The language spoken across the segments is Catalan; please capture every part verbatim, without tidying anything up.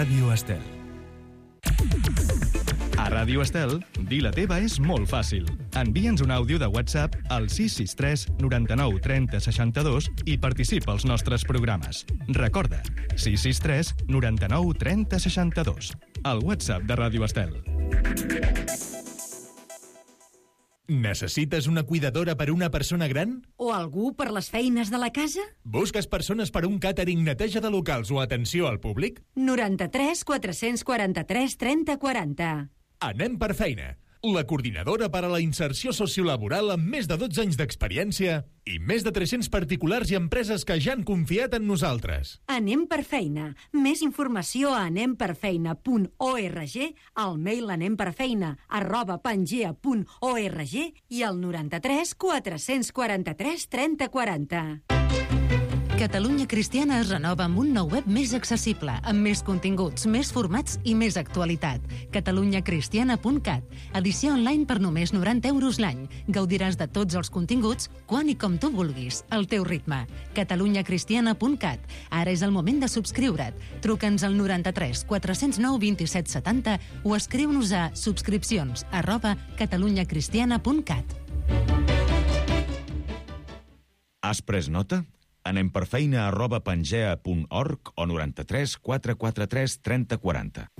Ràdio Estel. A Ràdio Estel, dir la teva és molt fàcil. Envia'ns un àudio de WhatsApp al sis sis tres noranta-nou trenta seixanta-dos i participa als nostres programes. Recorda, sis sis tres noranta-nou trenta seixanta-dos. El WhatsApp de Ràdio Estel. Necessites una cuidadora per una persona gran? O algú per les feines de la casa? Busques persones per un càtering, neteja de locals o atenció al públic? noranta-tres quatre-cents quaranta-tres trenta quaranta. Anem per feina. La coordinadora per a la inserció sociolaboral amb més de dotze anys d'experiència i més de tres-cents particulars i empreses que ja han confiat en nosaltres. Anem per feina. Més informació a anem per feina punt org, al mail anemperfeina arroba pangea punt org i al noranta-tres quatre-cents quaranta-tres trenta quaranta. Catalunya Cristiana es renova amb un nou web més accessible, amb més continguts, més formats i més actualitat. catalunya cristiana punt cat. Edició online per només noranta euros l'any. Gaudiràs de tots els continguts, quan i com tu vulguis, al teu ritme. catalunya cristiana punt cat. Ara és el moment de subscriure't. Truca'ns al noranta-tres quatre-cents nou vint-i-set setanta o escriu-nos a subscripcions arroba catalunya cristiana punt cat. Has pres nota? Anem per feina arroba pangea punt org o noranta-tres quatre quaranta-tres trenta quaranta.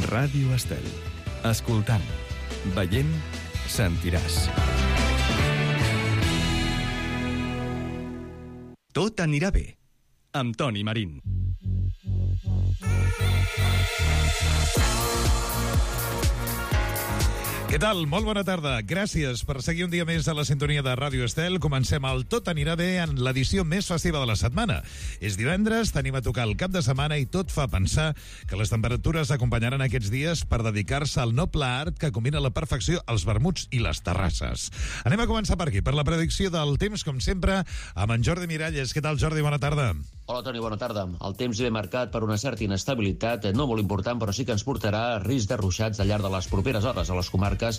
Ràdio Estel. Escoltant, veient, sentiràs. Tot anirà bé. Amb Toni Marín. Què tal? Molt bona tarda. Gràcies per seguir un dia més a la sintonia de Ràdio Estel. Comencem el Tot anirà bé en l'edició més festiva de la setmana. És divendres, tenim a tocar el cap de setmana i tot fa pensar que les temperatures acompanyaran aquests dies per dedicar-se al noble art que combina la perfecció els vermuts i les terrasses. Anem a començar per aquí, per la predicció del temps, com sempre, amb en Jordi Miralles. Què tal, Jordi? Bona tarda. Hola, Toni, bona tarda. El temps ve marcat per una certa inestabilitat, no molt important, però sí que ens portarà risc de ruixats al llarg de les properes hores a les comarques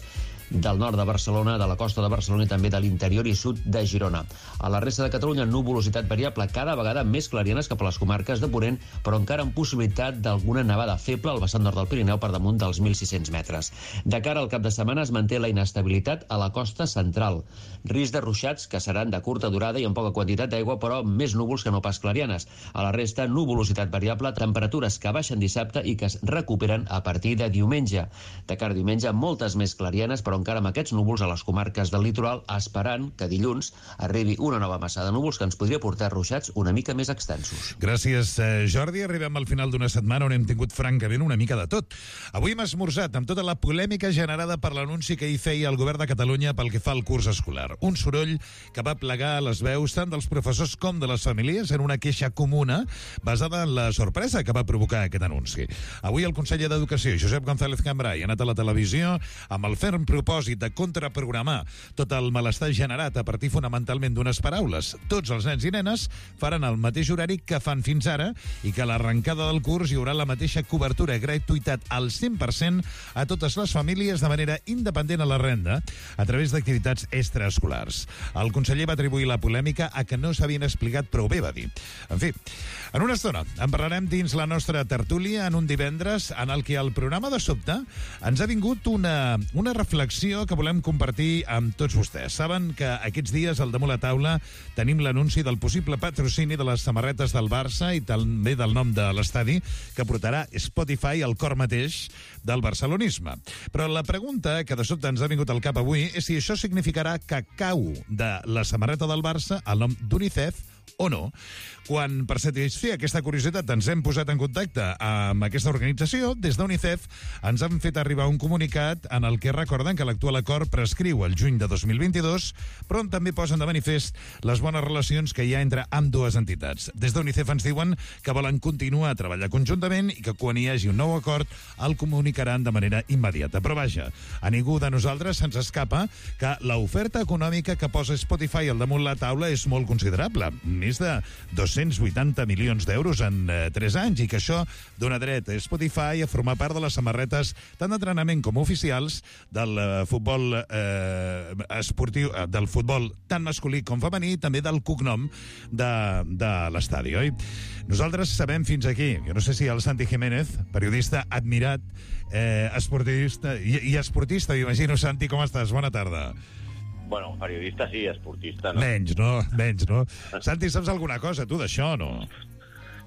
del nord de Barcelona, de la costa de Barcelona i també de l'interior i sud de Girona. A la resta de Catalunya, nuvolositat variable, cada vegada més clarianes cap a les comarques de Ponent, però encara amb possibilitat d'alguna nevada feble al vessant nord del Pirineu per damunt dels mil sis-cents metres. De cara al cap de setmana es manté la inestabilitat a la costa central. Risc de ruixats que seran de curta durada i amb poca quantitat d'aigua, però més núvols que no pas clarianes. A la resta, nuvolositat variable, temperatures que baixen dissabte i que es recuperen a partir de diumenge. De cara a diumenge, moltes més clarianes, però encara amb aquests núvols a les comarques del litoral, esperant que dilluns arribi una nova massa de núvols que ens podria portar ruixats una mica més extensos. Gràcies, Jordi. Arribem al final d'una setmana on hem tingut francament una mica de tot. Avui hem esmorzat amb tota la polèmica generada per l'anunci que hi feia el govern de Catalunya pel que fa al curs escolar. Un soroll que va plegar les veus tant dels professors com de les famílies en una queixa comuna basada en la sorpresa que va provocar aquest anunci. Avui el conseller d'Educació, Josep González Cambray, ha anat a la televisió amb el ferm propòsit de contraprogramar tot el malestar generat a partir fonamentalment d'unes paraules. Tots els nens i nenes faran el mateix horari que fan fins ara i que a l'arrencada del curs hi haurà la mateixa cobertura i gratuïtat al cent per cent a totes les famílies de manera independent a la renda a través d'activitats extraescolars. El conseller va atribuir la polèmica a que no s'havien explicat prou bé, va dir. En fi, en una estona en parlarem dins la nostra tertúlia en un divendres en el que el programa de sobte ens ha vingut una, una reflexió que volem compartir amb tots vostès. Saben que aquests dies al damunt la taula tenim l'anunci del possible patrocini de les samarretes del Barça i també del nom de l'estadi que portarà Spotify al cor mateix del barcelonisme. Però la pregunta que de sobte ens ha vingut al cap avui és si això significarà que cau de la samarreta del Barça el nom d'UNICEF o no. Quan, per satisfer aquesta curiositat, ens hem posat en contacte amb aquesta organització, des d'UNICEF ens han fet arribar un comunicat en el que recorden que l'actual acord prescriu el juny de dos mil vint-i-dos, però on també posen de manifest les bones relacions que hi ha entre ambdues entitats. Des d'UNICEF ens diuen que volen continuar a treballar conjuntament i que quan hi hagi un nou acord el comunicaran de manera immediata. Però vaja, a ningú de nosaltres se'ns escapa que l'oferta econòmica que posa Spotify al damunt la taula és molt considerable. més de dos-cents vuitanta milions d'euros en eh, tres anys, i que això dona dret a Spotify a formar part de les samarretes tant d'entrenament com oficials del eh, futbol eh, esportiu, eh, del futbol tant masculí com femení, i també del cognom de, de l'estadi, oi? Nosaltres sabem fins aquí, jo no sé si el Santi Jiménez, periodista admirat, eh, esportista i, i esportista, m'imagino. Santi, com estàs? Bona tarda. Bueno, periodista sí, esportista no. Menys, no? Menys, no? Santi, saps alguna cosa, tu, d'això, no?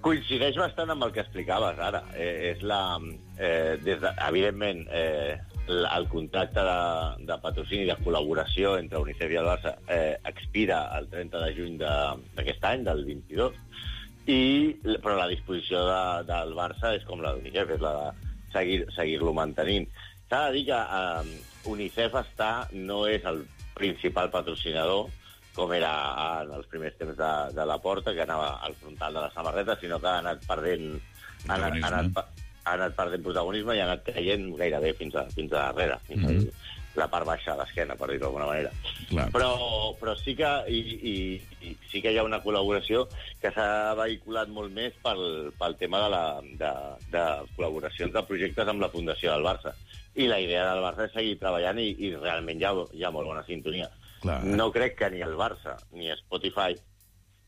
Coincideix bastant amb el que explicaves ara. Eh, és la... Eh, des de, evidentment, eh, el contracte de, de patrocini i de col·laboració entre UNICEF i el Barça eh, expira el trenta de juny d'aquest any, del vint-i-dos, i, però la disposició de, del Barça és com la d'UNICEF, és la de seguir, seguir-lo mantenint. S'ha de dir que eh, UNICEF està, no és el principal patrocinador, com era en els primers temps de, de la Porta, que anava al frontal de la samarreta, sinó que ha anat perdent... Ha anat, ha anat, ha anat perdent protagonisme i ha anat caient gairebé fins a, fins a darrere, fins mm-hmm. a la part baixa de l'esquena, per dir-ho d'alguna manera. Clar. Però, però sí que i, i, i sí que hi ha una col·laboració que s'ha vehiculat molt més pel, pel tema de, la, de, de col·laboracions de projectes amb la Fundació del Barça. I la idea del Barça és seguir treballant i, i realment hi ha, hi ha molt bona sintonia. Clar. No crec que ni el Barça ni Spotify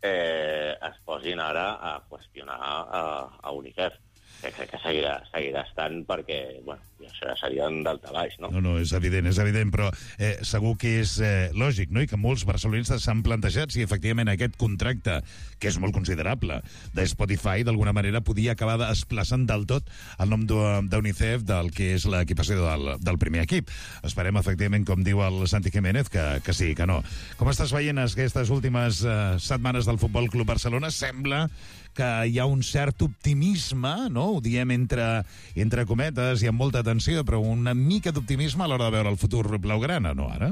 eh, es posin ara a qüestionar a, a UNICEF. Crec que seguirà, seguirà estant perquè, bueno, això ja seria un daltabaix, no? No, no, és evident, és evident, però eh, segur que és eh, lògic, no?, i que molts barcelonistes s'han plantejat si efectivament aquest contracte, que és molt considerable, de Spotify, d'alguna manera podia acabar desplaçant del tot el nom d'UNICEF del que és l'equipació del, del primer equip. Esperem, efectivament, com diu el Santi Jiménez, que, que sí, que no. Com estàs veient aquestes últimes eh, setmanes del Futbol Club Barcelona? Sembla que hi ha un cert optimisme, no? Ho diem entre, entre cometes i amb molta atenció, però una mica d'optimisme a l'hora de veure el futur blaugrana, no, ara?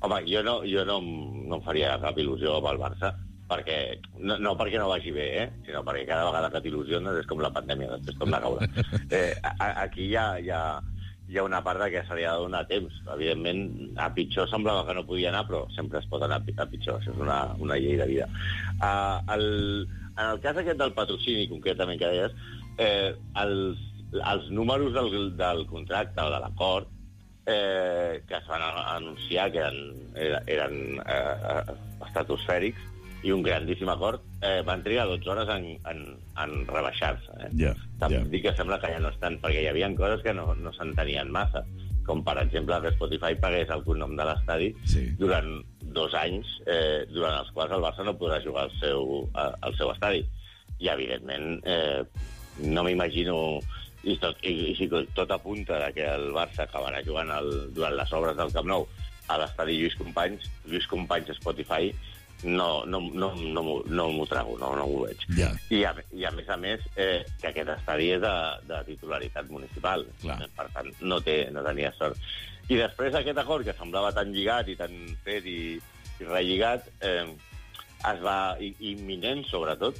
Home, jo no, jo no, no em faria cap il·lusió amb el Barça, perquè, no, no perquè no vagi bé, eh? Sinó perquè cada vegada que t'il·lusiones és com la pandèmia, després com la caure. Eh, a, aquí hi ha, hi, ha, hi ha una part de que se li ha de donar temps. Evidentment, a pitjor semblava que no podia anar, però sempre es pot anar a pitjor. Això és una, una llei de vida. Uh, el... En el cas aquest del patrocini, concretament, que deies, eh, els, els números del, del contracte o de l'acord eh, que es van anunciar, que eren, eren eh, estratosfèrics, i un grandíssim acord, eh, van trigar dotze hores en, en, en rebaixar-se. Eh? Yeah, yeah. Dic que sembla que ja no estan, perquè hi havia coses que no, no s'entenien massa, com per exemple que Spotify pagués el cognom de l'estadi sí. durant dos anys, eh, durant els quals el Barça no podrà jugar al seu, al seu estadi. I, evidentment, eh, no m'imagino... I, tot, i, i si tot apunta que el Barça acabarà jugant el, durant les obres del Camp Nou a l'estadi Lluís Companys, Lluís Companys Spotify, no, no, no, no, no m'ho trago, no, no m'ho veig. Yeah. I, a, I, a més a més, eh, que aquest estadi és de, de titularitat municipal. Clar. Per tant, no, té, no tenia sort. I després d'aquest acord, que semblava tan lligat i tan fet i, i relligat, eh, es va, i, imminent, sobretot,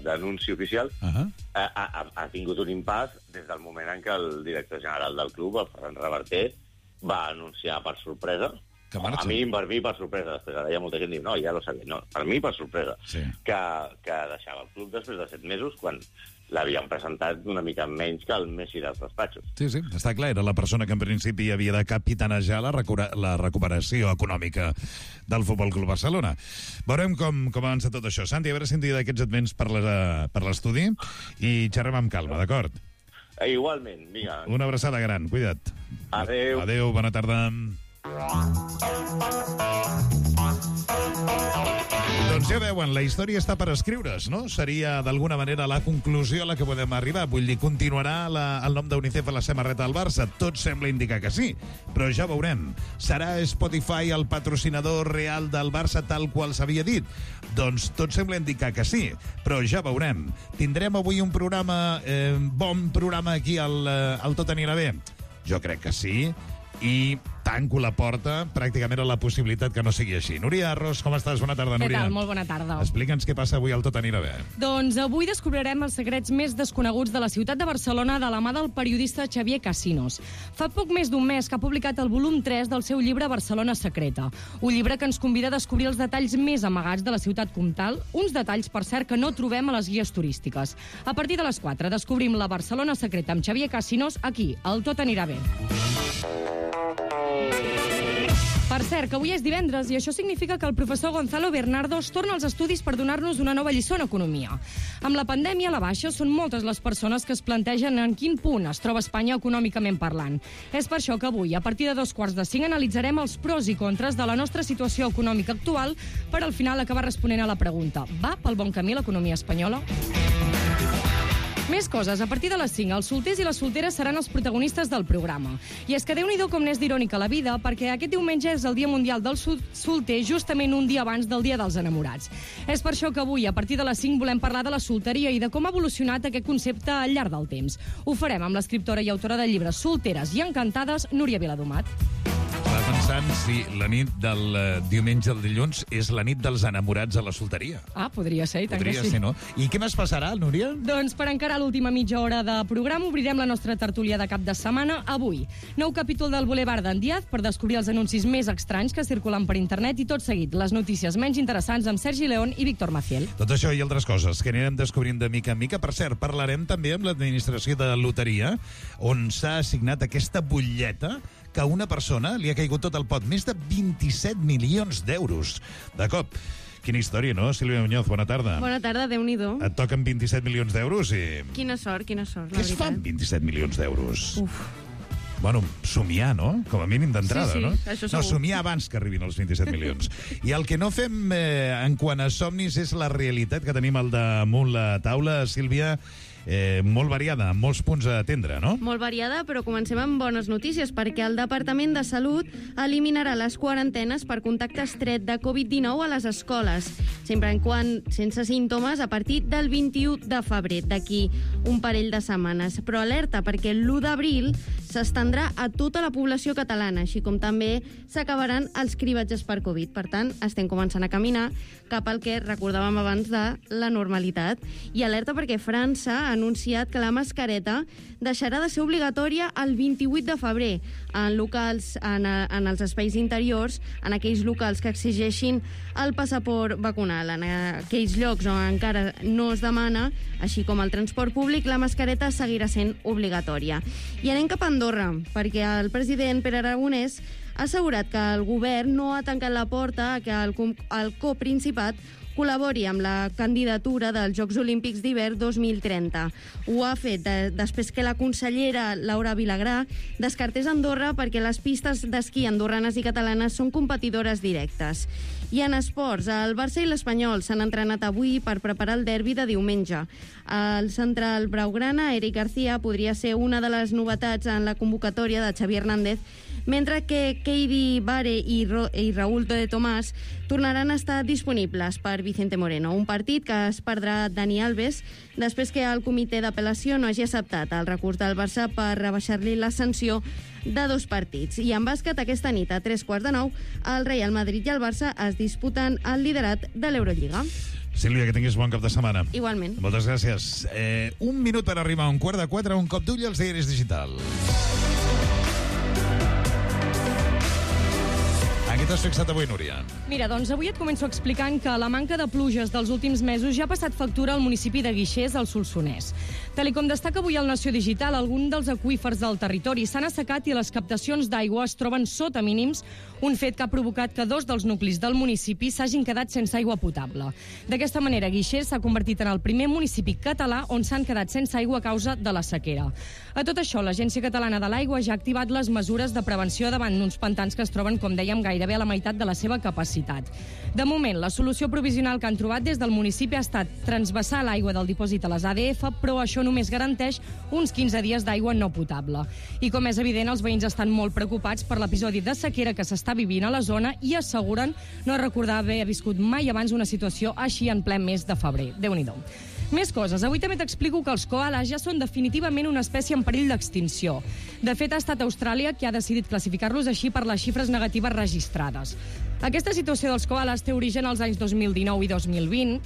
d'anunci oficial, uh-huh. ha, ha, ha tingut un impàs des del moment en què el director general del club, el Ferran Reverter, va anunciar per sorpresa, a mi, per mi, per sorpresa, després ara hi ha molta gent que diu, no, ja lo sabia, no, per mi, per sorpresa, sí. que, que deixava el club després de set mesos, quan l'havien presentat una mica menys que el Messi dels despatxos. Sí, sí, està clar, era la persona que en principi havia de capitanejar la, recupera la recuperació econòmica del Futbol Club Barcelona. Veurem com, com avança tot això. Santi, a veure si un dia d'aquests et vens per l'estudi i xerrem amb calma, d'acord? Eh, igualment, vinga. Una abraçada gran, cuida't. Adéu. Adéu, bona tarda. Doncs ja veuen, la història està per escriure's, no? Seria, d'alguna manera, la conclusió a la que podem arribar. Vull dir, continuarà la, el nom d'UNICEF a la samarreta del Barça? Tot sembla indicar que sí, però ja veurem. Serà Spotify el patrocinador real del Barça tal qual s'havia dit? Doncs tot sembla indicar que sí, però ja veurem. Tindrem avui un programa, eh, bon programa aquí al, al Tot anirà bé? Jo crec que sí. i tanco la porta pràcticament a la possibilitat que no sigui així. Núria Arros, com estàs? Bona tarda, Núria. Què tal? Molt bona tarda. Explica'ns què passa avui al Tot anirà bé. Doncs avui descobrirem els secrets més desconeguts de la ciutat de Barcelona de la mà del periodista Xavier Casinos. Fa poc més d'un mes que ha publicat el volum tres del seu llibre Barcelona secreta, un llibre que ens convida a descobrir els detalls més amagats de la ciutat comtal, uns detalls, per cert, que no trobem a les guies turístiques. A partir de les quatre descobrim la Barcelona secreta amb Xavier Casinos aquí, al Tot anirà bé. Per cert, que avui és divendres i això significa que el professor Gonzalo Bernardos torna als estudis per donar-nos una nova lliçó en economia. Amb la pandèmia a la baixa són moltes les persones que es plantegen en quin punt es troba Espanya econòmicament parlant. És per això que avui, a partir de dos quarts de cinc, analitzarem els pros i contres de la nostra situació econòmica actual per al final acabar responent a la pregunta: va pel bon camí l'economia espanyola? Més coses. A partir de les cinc, els solters i les solteres seran els protagonistes del programa. I és que Déu-n'hi-do com n'és d'irònica la vida, perquè aquest diumenge és el Dia Mundial del Solter, justament un dia abans del Dia dels Enamorats. És per això que avui, a partir de les cinc, volem parlar de la solteria i de com ha evolucionat aquest concepte al llarg del temps. Ho farem amb l'escriptora i autora de llibres Solteres i Encantades, Núria Viladomat. Estava pensant si la nit del uh, diumenge al dilluns és la nit dels enamorats a la solteria. Ah, podria ser, i tant Podria que sí. ser, no? I què més passarà, Núria? Doncs per encarar l'última mitja hora de programa obrirem la nostra tertúlia de cap de setmana avui. Nou capítol del Boulevard d'en Díaz per descobrir els anuncis més estranys que circulen per internet i tot seguit les notícies menys interessants amb Sergi León i Víctor Maciel. Tot això i altres coses que anirem descobrint de mica en mica. Per cert, parlarem també amb l'administració de loteria, on s'ha assignat aquesta butlleta que a una persona li ha caigut tot el pot, més de vint-i-set milions d'euros. De cop. Quina història, no? Sílvia Muñoz, bona tarda. Bona tarda, Déu-n'hi-do. Et toquen vint-i-set milions d'euros i... Quina sort, quina sort, Què la es veritat. fan vint-i-set milions d'euros? Uf. Bueno, somiar, no? Com a mínim d'entrada, Sí, sí, no? això No, segur. somiar abans que arribin els vint-i-set milions. I el que no fem eh, en quant a somnis és la realitat que tenim al damunt la taula, Sílvia, eh, molt variada, amb molts punts a atendre, no? Molt variada, però comencem amb bones notícies, perquè el Departament de Salut eliminarà les quarantenes per contacte estret de covid dinou a les escoles, sempre en quan sense símptomes, a partir del vint-i-u de febrer, d'aquí un parell de setmanes. Però alerta, perquè l'u d'abril s'estendrà a tota la població catalana, així com també s'acabaran els cribatges per Covid. Per tant, estem començant a caminar cap al que recordàvem abans de la normalitat. I alerta perquè França ha anunciat que la mascareta deixarà de ser obligatòria el vint-i-vuit de febrer en locals, en, en els espais interiors, en aquells locals que exigeixin el passaport vacunal. En aquells llocs on encara no es demana, així com el transport públic, la mascareta seguirà sent obligatòria. I anem cap a Andorra, perquè el president Pere Aragonès ha assegurat que el govern no ha tancat la porta a que el, el coprincipat col·labori amb la candidatura dels Jocs Olímpics d'hivern dos mil trenta. Ho ha fet de, després que la consellera Laura Vilagrà descartés Andorra perquè les pistes d'esquí andorranes i catalanes són competidores directes. I en esports, el Barça i l'Espanyol s'han entrenat avui per preparar el derbi de diumenge. El central blaugrana, Eric García, podria ser una de les novetats en la convocatòria de Xavi Hernández, mentre que Keidi Bare i, Ro i Raúl de Tomàs tornaran a estar disponibles per Vicente Moreno, un partit que es perdrà Dani Alves després que el comitè d'apel·lació no hagi acceptat el recurs del Barça per rebaixar-li la sanció de dos partits. I en bàsquet, aquesta nit, a tres quarts de nou, el Real Madrid i el Barça es disputen el liderat de l'Eurolliga. Sílvia, que tinguis bon cap de setmana. Igualment. Moltes gràcies. Eh, un minut per arribar a un quart de quatre, un cop d'ull als diaris digitals. En què t'has fixat avui, Núria? Mira, doncs avui et començo explicant que la manca de pluges dels últims mesos ja ha passat factura al municipi de Guixers, al Solsonès. Tal com destaca avui el Nació Digital, alguns dels aqüífers del territori s'han assecat i les captacions d'aigua es troben sota mínims, un fet que ha provocat que dos dels nuclis del municipi s'hagin quedat sense aigua potable. D'aquesta manera, Guixers s'ha convertit en el primer municipi català on s'han quedat sense aigua a causa de la sequera. A tot això, l'Agència Catalana de l'Aigua ja ha activat les mesures de prevenció davant d'uns pantans que es troben, com dèiem, gairebé a la meitat de la seva capacitat. De moment, la solució provisional que han trobat des del municipi ha estat transvasar l'aigua del dipòsit a les A D F, però això només garanteix uns quinze dies d'aigua no potable. I com és evident, els veïns estan molt preocupats per l'episodi de sequera que s'està vivint a la zona i asseguren no recordar haver viscut mai abans una situació així en ple mes de febrer. Déu-n'hi-do. Més coses. Avui també t'explico que els koalas ja són definitivament una espècie en perill d'extinció. De fet, ha estat Austràlia qui ha decidit classificar-los així per les xifres negatives registrades. Aquesta situació dels koalas té origen als anys dos mil dinou i dos mil vint,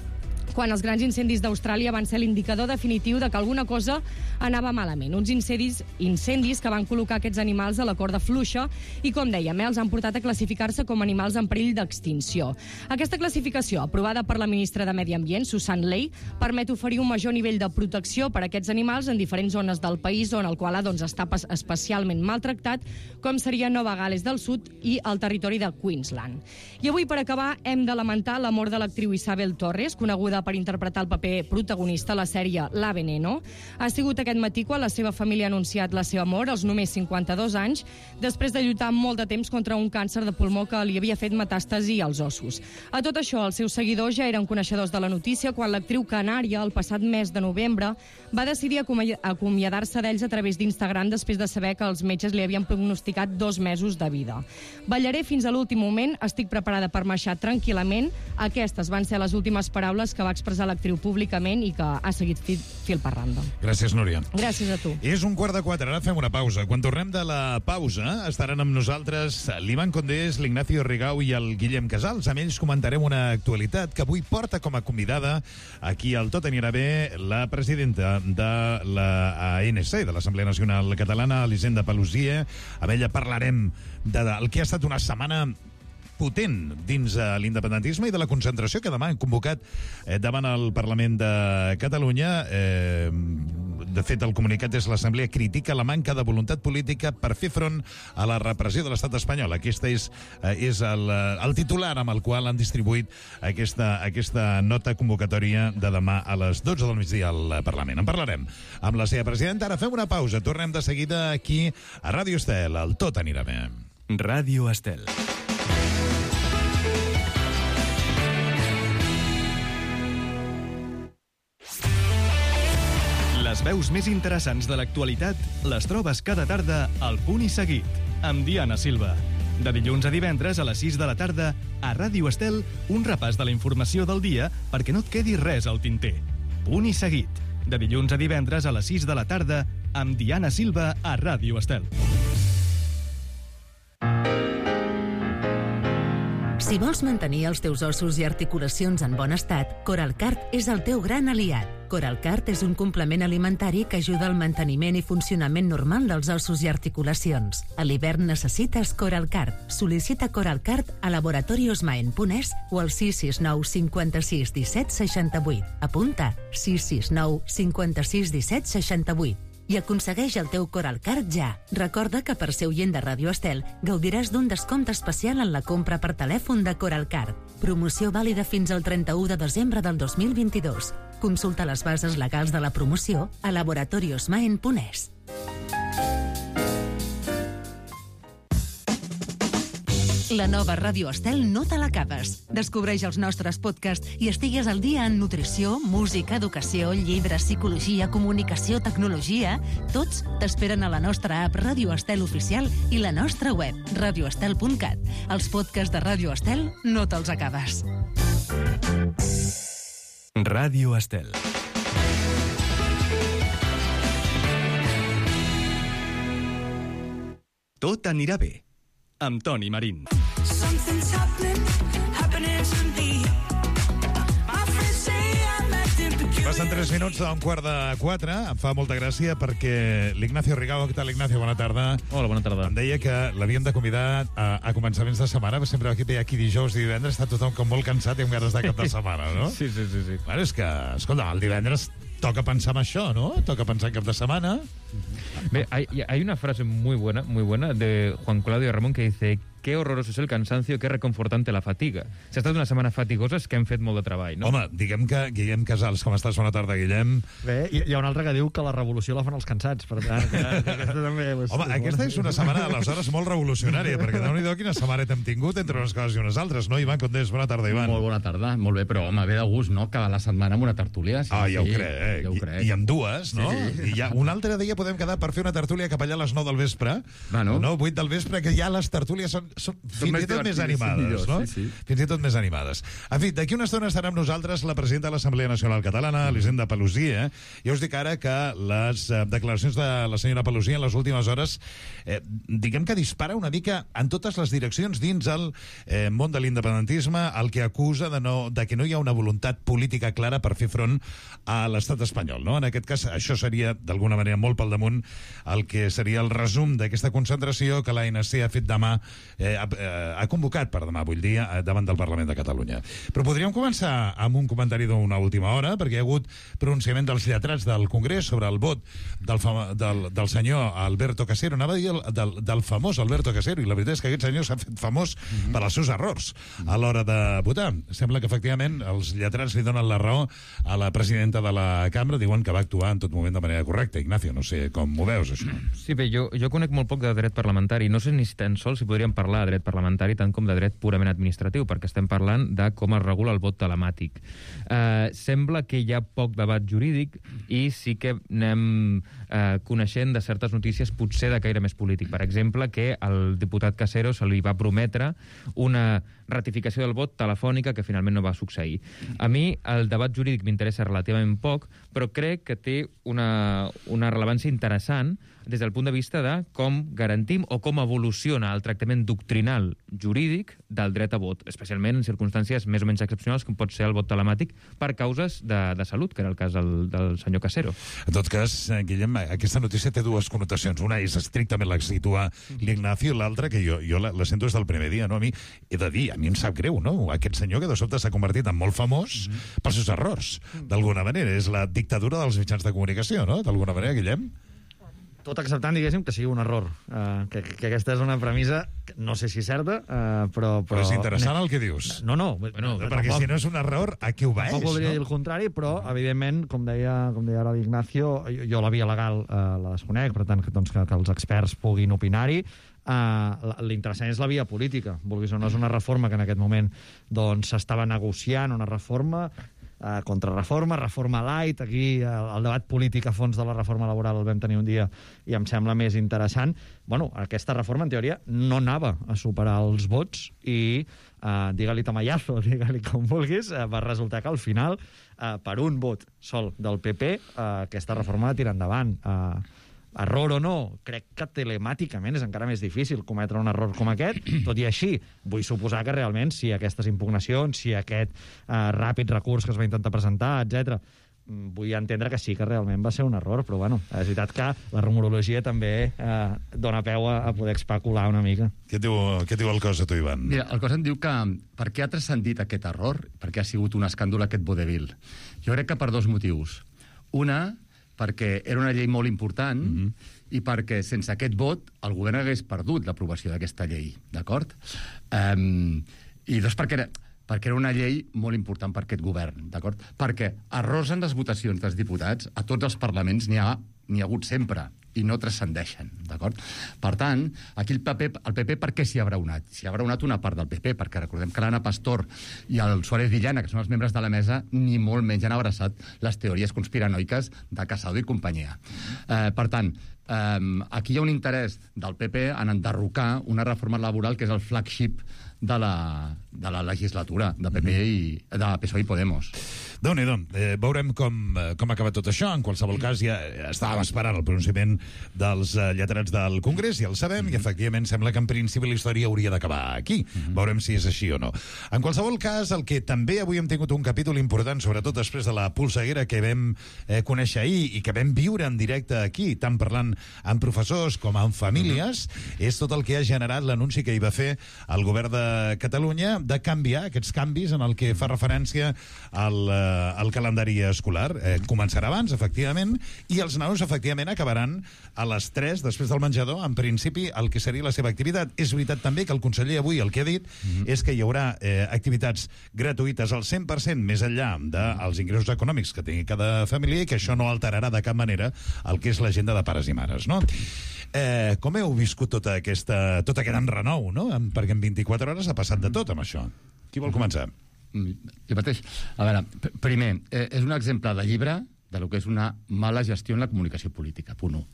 quan els grans incendis d'Austràlia van ser l'indicador definitiu de que alguna cosa anava malament. Uns incendis, incendis que van col·locar aquests animals a la corda fluixa i, com dèiem, eh, els han portat a classificar-se com animals en perill d'extinció. Aquesta classificació, aprovada per la ministra de Medi Ambient, Susan Ley, permet oferir un major nivell de protecció per a aquests animals en diferents zones del país on el koala doncs, està especialment maltractat, com seria Nova Gal·les del Sud i el territori de Queensland. I avui, per acabar, hem de lamentar la mort de l'actriu Isabel Torres, coneguda per interpretar el paper protagonista a la sèrie La Veneno. Ha sigut aquest matí quan la seva família ha anunciat la seva mort als només cinquanta-dos anys, després de lluitar molt de temps contra un càncer de pulmó que li havia fet metàstasi als ossos. A tot això, els seus seguidors ja eren coneixedors de la notícia quan l'actriu canària, el passat mes de novembre, va decidir acomiadar-se d'ells a través d'Instagram després de saber que els metges li havien prognosticat dos mesos de vida. Ballaré fins a l'últim moment, estic preparada per marxar tranquil·lament. Aquestes van ser les últimes paraules que va expressar l'actriu públicament i que ha seguit fil, fil per randa. Gràcies, Núria. Gràcies a tu. És un quart de quatre, ara fem una pausa. Quan tornem de la pausa estaran amb nosaltres l'Ivan Condés, l'Ignacio Rigau i el Guillem Casals. Amb ells comentarem una actualitat que avui porta com a convidada aquí al Tot anirà bé la presidenta de la A N C, de l'Assemblea Nacional Catalana, Elisenda Paluzie. Amb ella parlarem del que ha estat una setmana potent dins de l'independentisme i de la concentració que demà han convocat eh, davant el Parlament de Catalunya. Eh, de fet, el comunicat és l'Assemblea critica la manca de voluntat política per fer front a la repressió de l'estat espanyol. Aquesta és, eh, és el, el titular amb el qual han distribuït aquesta, aquesta nota convocatòria de demà a les dotze del migdia al Parlament. En parlarem amb la seva presidenta. Ara fem una pausa. Tornem de seguida aquí a Ràdio Estel. El Tot anirà bé. Ràdio Estel. Les veus més interessants de l'actualitat les trobes cada tarda al Punt i Seguit, amb Diana Silva. De dilluns a divendres a les sis de la tarda, a Ràdio Estel, un repàs de la informació del dia perquè no et quedi res al tinter. Punt i Seguit. De dilluns a divendres a les sis de la tarda, amb Diana Silva a Ràdio Estel. Si vols mantenir els teus ossos i articulacions en bon estat, Coralcart és el teu gran aliat. Coralcart és un complement alimentari que ajuda al manteniment i funcionament normal dels ossos i articulacions. A l'hivern necessites Coralcart. Sol·licita Coralcart a laboratoriosmaen punt es o al sis sis nou cinquanta-sis disset seixanta-vuit. Apunta sis sis nou cinquanta-sis disset seixanta-vuit. I aconsegueix el teu Coralcart ja. Recorda que per ser oient de Ràdio Estel gaudiràs d'un descompte especial en la compra per telèfon de Coralcart. Promoció vàlida fins al trenta-u de desembre del dos mil vint-i-dos. Consulta les bases legals de la promoció a laboratoriosmaen punt es. La nova Ràdio Estel no te l'acabes. Descobreix els nostres podcasts i estigues al dia en nutrició, música, educació, llibres, psicologia, comunicació, tecnologia. Tots t'esperen a la nostra app Ràdio Estel Oficial i la nostra web, radio estel punt cat. Els podcasts de Ràdio Estel no te'ls acabes. Ràdio Estel. Tot anirà bé, amb Toni Marín. Passen tres minuts d'un quart de quatre. Em fa molta gràcia perquè l'Ignacio Rigau, què tal, Ignacio? Bona tarda. Hola, bona tarda. Em deia que l'havíem de convidar a, a començaments de setmana, però sempre aquí, aquí dijous i divendres està tothom com molt cansat i amb ganes de cap de setmana, ¿no? Sí, sí, sí. sí. Bueno, és que, escolta, el divendres toca pensar en això, ¿no? Toca pensar en cap de setmana. Ve, hay, hay una frase muy buena, muy buena de Juan Claudio Ramón que dice: qué horroroso es el cansancio, qué reconfortante la fatiga. Si ha estat una setmana fatigosa és que hem fet molt de treball, no? Home, diguem que Guillem Casals, com estàs? Bona tarda, Guillem. Bé, hi, hi ha un altre que diu que la revolució la fan els cansats, per tant, que, que aquesta també... Home, és aquesta és una setmana, aleshores, molt revolucionària, perquè déu-n'hi-do quina setmana hem tingut entre unes coses i unes altres, no? Ivan Condés, bona tarda, Ivan. Molt bona tarda, molt bé, però, home, ve de gust, no?, cada la setmana amb una tertúlia. Sí, ah, ja sí, ho crec, ja ho crec. I, i amb dues, no? Sí, sí. I ja un altre dia podem quedar per fer una tertúlia cap allà a les nou del vespre, bueno. no? vuit del vespre, que ja les tertúlies són... són fins i tot més animades, no? Sí, sí. Fins i tot més animades. En fi, d'aquí una estona estarà amb nosaltres la presidenta de l'Assemblea Nacional Catalana, Elisenda Paluzie. Jo us dic ara que les eh, declaracions de la senyora Paluzie en les últimes hores, eh, diguem que dispara una mica en totes les direccions dins el eh, món de l'independentisme, el que acusa de, no, de que no hi ha una voluntat política clara per fer front a l'estat espanyol, no? En aquest cas, això seria, d'alguna manera, molt pel damunt el que seria el resum d'aquesta concentració que l'A N C ha fet demà, eh, ha, eh, ha convocat per demà, vull dir, eh, davant del Parlament de Catalunya. Però podríem començar amb un comentari d'una última hora, perquè hi ha hagut pronunciament dels lletrats del Congrés sobre el vot del, fama, del, del senyor Alberto Casero, anava a dir el, del, del famós Alberto Casero, i la veritat és que aquest senyor s'ha fet famós mm-hmm. per als seus errors a l'hora de votar. Sembla que, efectivament, els lletrats li donen la raó a la presidenta de la cambra, diuen que va actuar en tot moment de manera correcta. Ignacio, no sé com ho veus, això. Sí, bé, jo, jo conec molt poc de dret parlamentari. No sé ni tan sols si podríem parlar de dret parlamentari tant com de dret purament administratiu, perquè estem parlant de com es regula el vot telemàtic. Eh, sembla que hi ha poc debat jurídic i sí que anem eh, coneixent de certes notícies potser de caire més polític. Per exemple, que al diputat Casero se li va prometre una ratificació del vot telefònica que finalment no va succeir. A mi el debat jurídic m'interessa relativament poc, però crec que té una, una rellevància interessant des del punt de vista de com garantim o com evoluciona el tractament doctrinal jurídic del dret a vot, especialment en circumstàncies més o menys excepcionals com pot ser el vot telemàtic per causes de, de salut, que era el cas del, del senyor Casero. En tot cas, Guillem, aquesta notícia té dues connotacions. Una és estrictament la que situa l'Ignacio, i l'altra que jo, jo la, la sento des del primer dia. No? A mi, he de dir, a mi em sap greu, no? Aquest senyor que de sobte s'ha convertit en molt famós mm-hmm. pels seus errors, d'alguna manera. És la dictadura dels mitjans de comunicació, no? D'alguna manera, Guillem? Tot acceptant, diguéssim, que sigui un error. Uh, que, que aquesta és una premissa, no sé si certa, uh, però, però... Però és interessant el que dius. No, no. Bueno, perquè tampoc, si no és un error, a què ho veig? Tampoc voldria no? dir el contrari, però, evidentment, com deia, com deia ara l'Ignacio, jo, jo la via legal uh, la desconec, per tant, que, doncs, que, que els experts puguin opinar-hi. Uh, l'interessant és la via política. Vulguis o no, és una reforma que en aquest moment doncs s'estava negociant, una reforma Uh, contrarreforma, reforma light. Aquí el, el debat polític a fons de la reforma laboral el vam tenir un dia i em sembla més interessant. Bueno, aquesta reforma, en teoria, no anava a superar els vots i, uh, digue-li tamallazo, digue-li com vulguis, uh, va resultar que al final, uh, per un vot sol del P P, uh, aquesta reforma va tirar endavant. Uh, Error o no, crec que telemàticament és encara més difícil cometre un error com aquest. Tot i així, vull suposar que realment si aquestes impugnacions, si aquest eh, ràpid recurs que es va intentar presentar, etcètera, vull entendre que sí que realment va ser un error, però bueno, és veritat que la rumorologia també eh, dona peu a, a poder especular una mica. Què diu, què diu el cos a tu, Ivan? Mira, el cos em diu que per què ha transcendit aquest error, per què ha sigut un escàndol aquest vodevil? Jo crec que per dos motius. Una, perquè era una llei molt important mm-hmm. i perquè sense aquest vot el govern hagués perdut l'aprovació d'aquesta llei, d'acord? Um, I dos, perquè era, perquè era una llei molt important per aquest govern, d'acord? Perquè errors en les votacions dels diputats a tots els parlaments n'hi ha, n'hi ha hagut sempre i no transcendeixen, d'acord? Per tant, aquí el P P, el P P per què s'hi ha braonat? S'hi ha braonat una part del P P, perquè recordem que l'Anna Pastor i el Suárez Villana, que són els membres de la mesa, ni molt menys han abraçat les teories conspiranoiques de Casado i companyia. Eh, per tant, eh, aquí hi ha un interès del P P en enderrocar una reforma laboral que és el flagship de la, de la legislatura de P P i de P S O E i Podemos. Déu-n'hi-do. Eh, veurem com, com ha acabat tot això. En qualsevol cas, ja estàvem esperant el pronunciament dels eh, lletrats del Congrés, ja el sabem, i efectivament sembla que en principi la història hauria d'acabar aquí. Veurem si és així o no. En qualsevol cas, el que també avui hem tingut un capítol important, sobretot després de la polseguera que vam eh, conèixer ahir i que vam viure en directe aquí, tant parlant amb professors com amb famílies, és tot el que ha generat l'anunci que hi va fer el govern de Catalunya de canviar aquests canvis en el que fa referència al, eh, al calendari escolar. Eh, començarà abans, efectivament, i els nanos, efectivament, acabaran a les tres, després del menjador, en principi, el que seria la seva activitat. És veritat també que el conseller avui el que ha dit mm-hmm. és que hi haurà eh, activitats gratuïtes al cent per cent més enllà dels ingressos econòmics que tingui cada família i que això no alterarà de cap manera el que és l'agenda de pares i mares, no? Eh, com heu viscut tota aquesta, tot aquest enrenou, no? Perquè en vint-i-quatre hores ha passat de tot amb això. Qui vol començar? Jo mateix. A veure, primer, eh, és un exemple de llibre de lo que és una mala gestió en la comunicació política, punt u.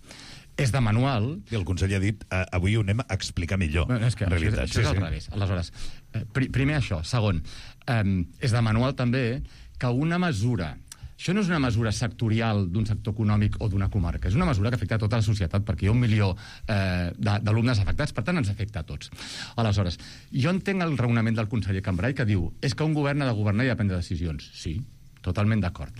és de manual... I el conseller ha dit, eh, avui ho anem a explicar millor, no, és que, en realitat. Això, això és al revés. Aleshores, eh, pr primer això. Segon, eh, és de manual també que una mesura... Això no és una mesura sectorial d'un sector econòmic o d'una comarca, és una mesura que afecta a tota la societat, perquè hi ha un milió eh, d'alumnes afectats, per tant ens afecta a tots. Aleshores, jo entenc el raonament del conseller Cambray que diu és que un govern ha de governar i ha de prendre decisions. Sí, totalment d'acord.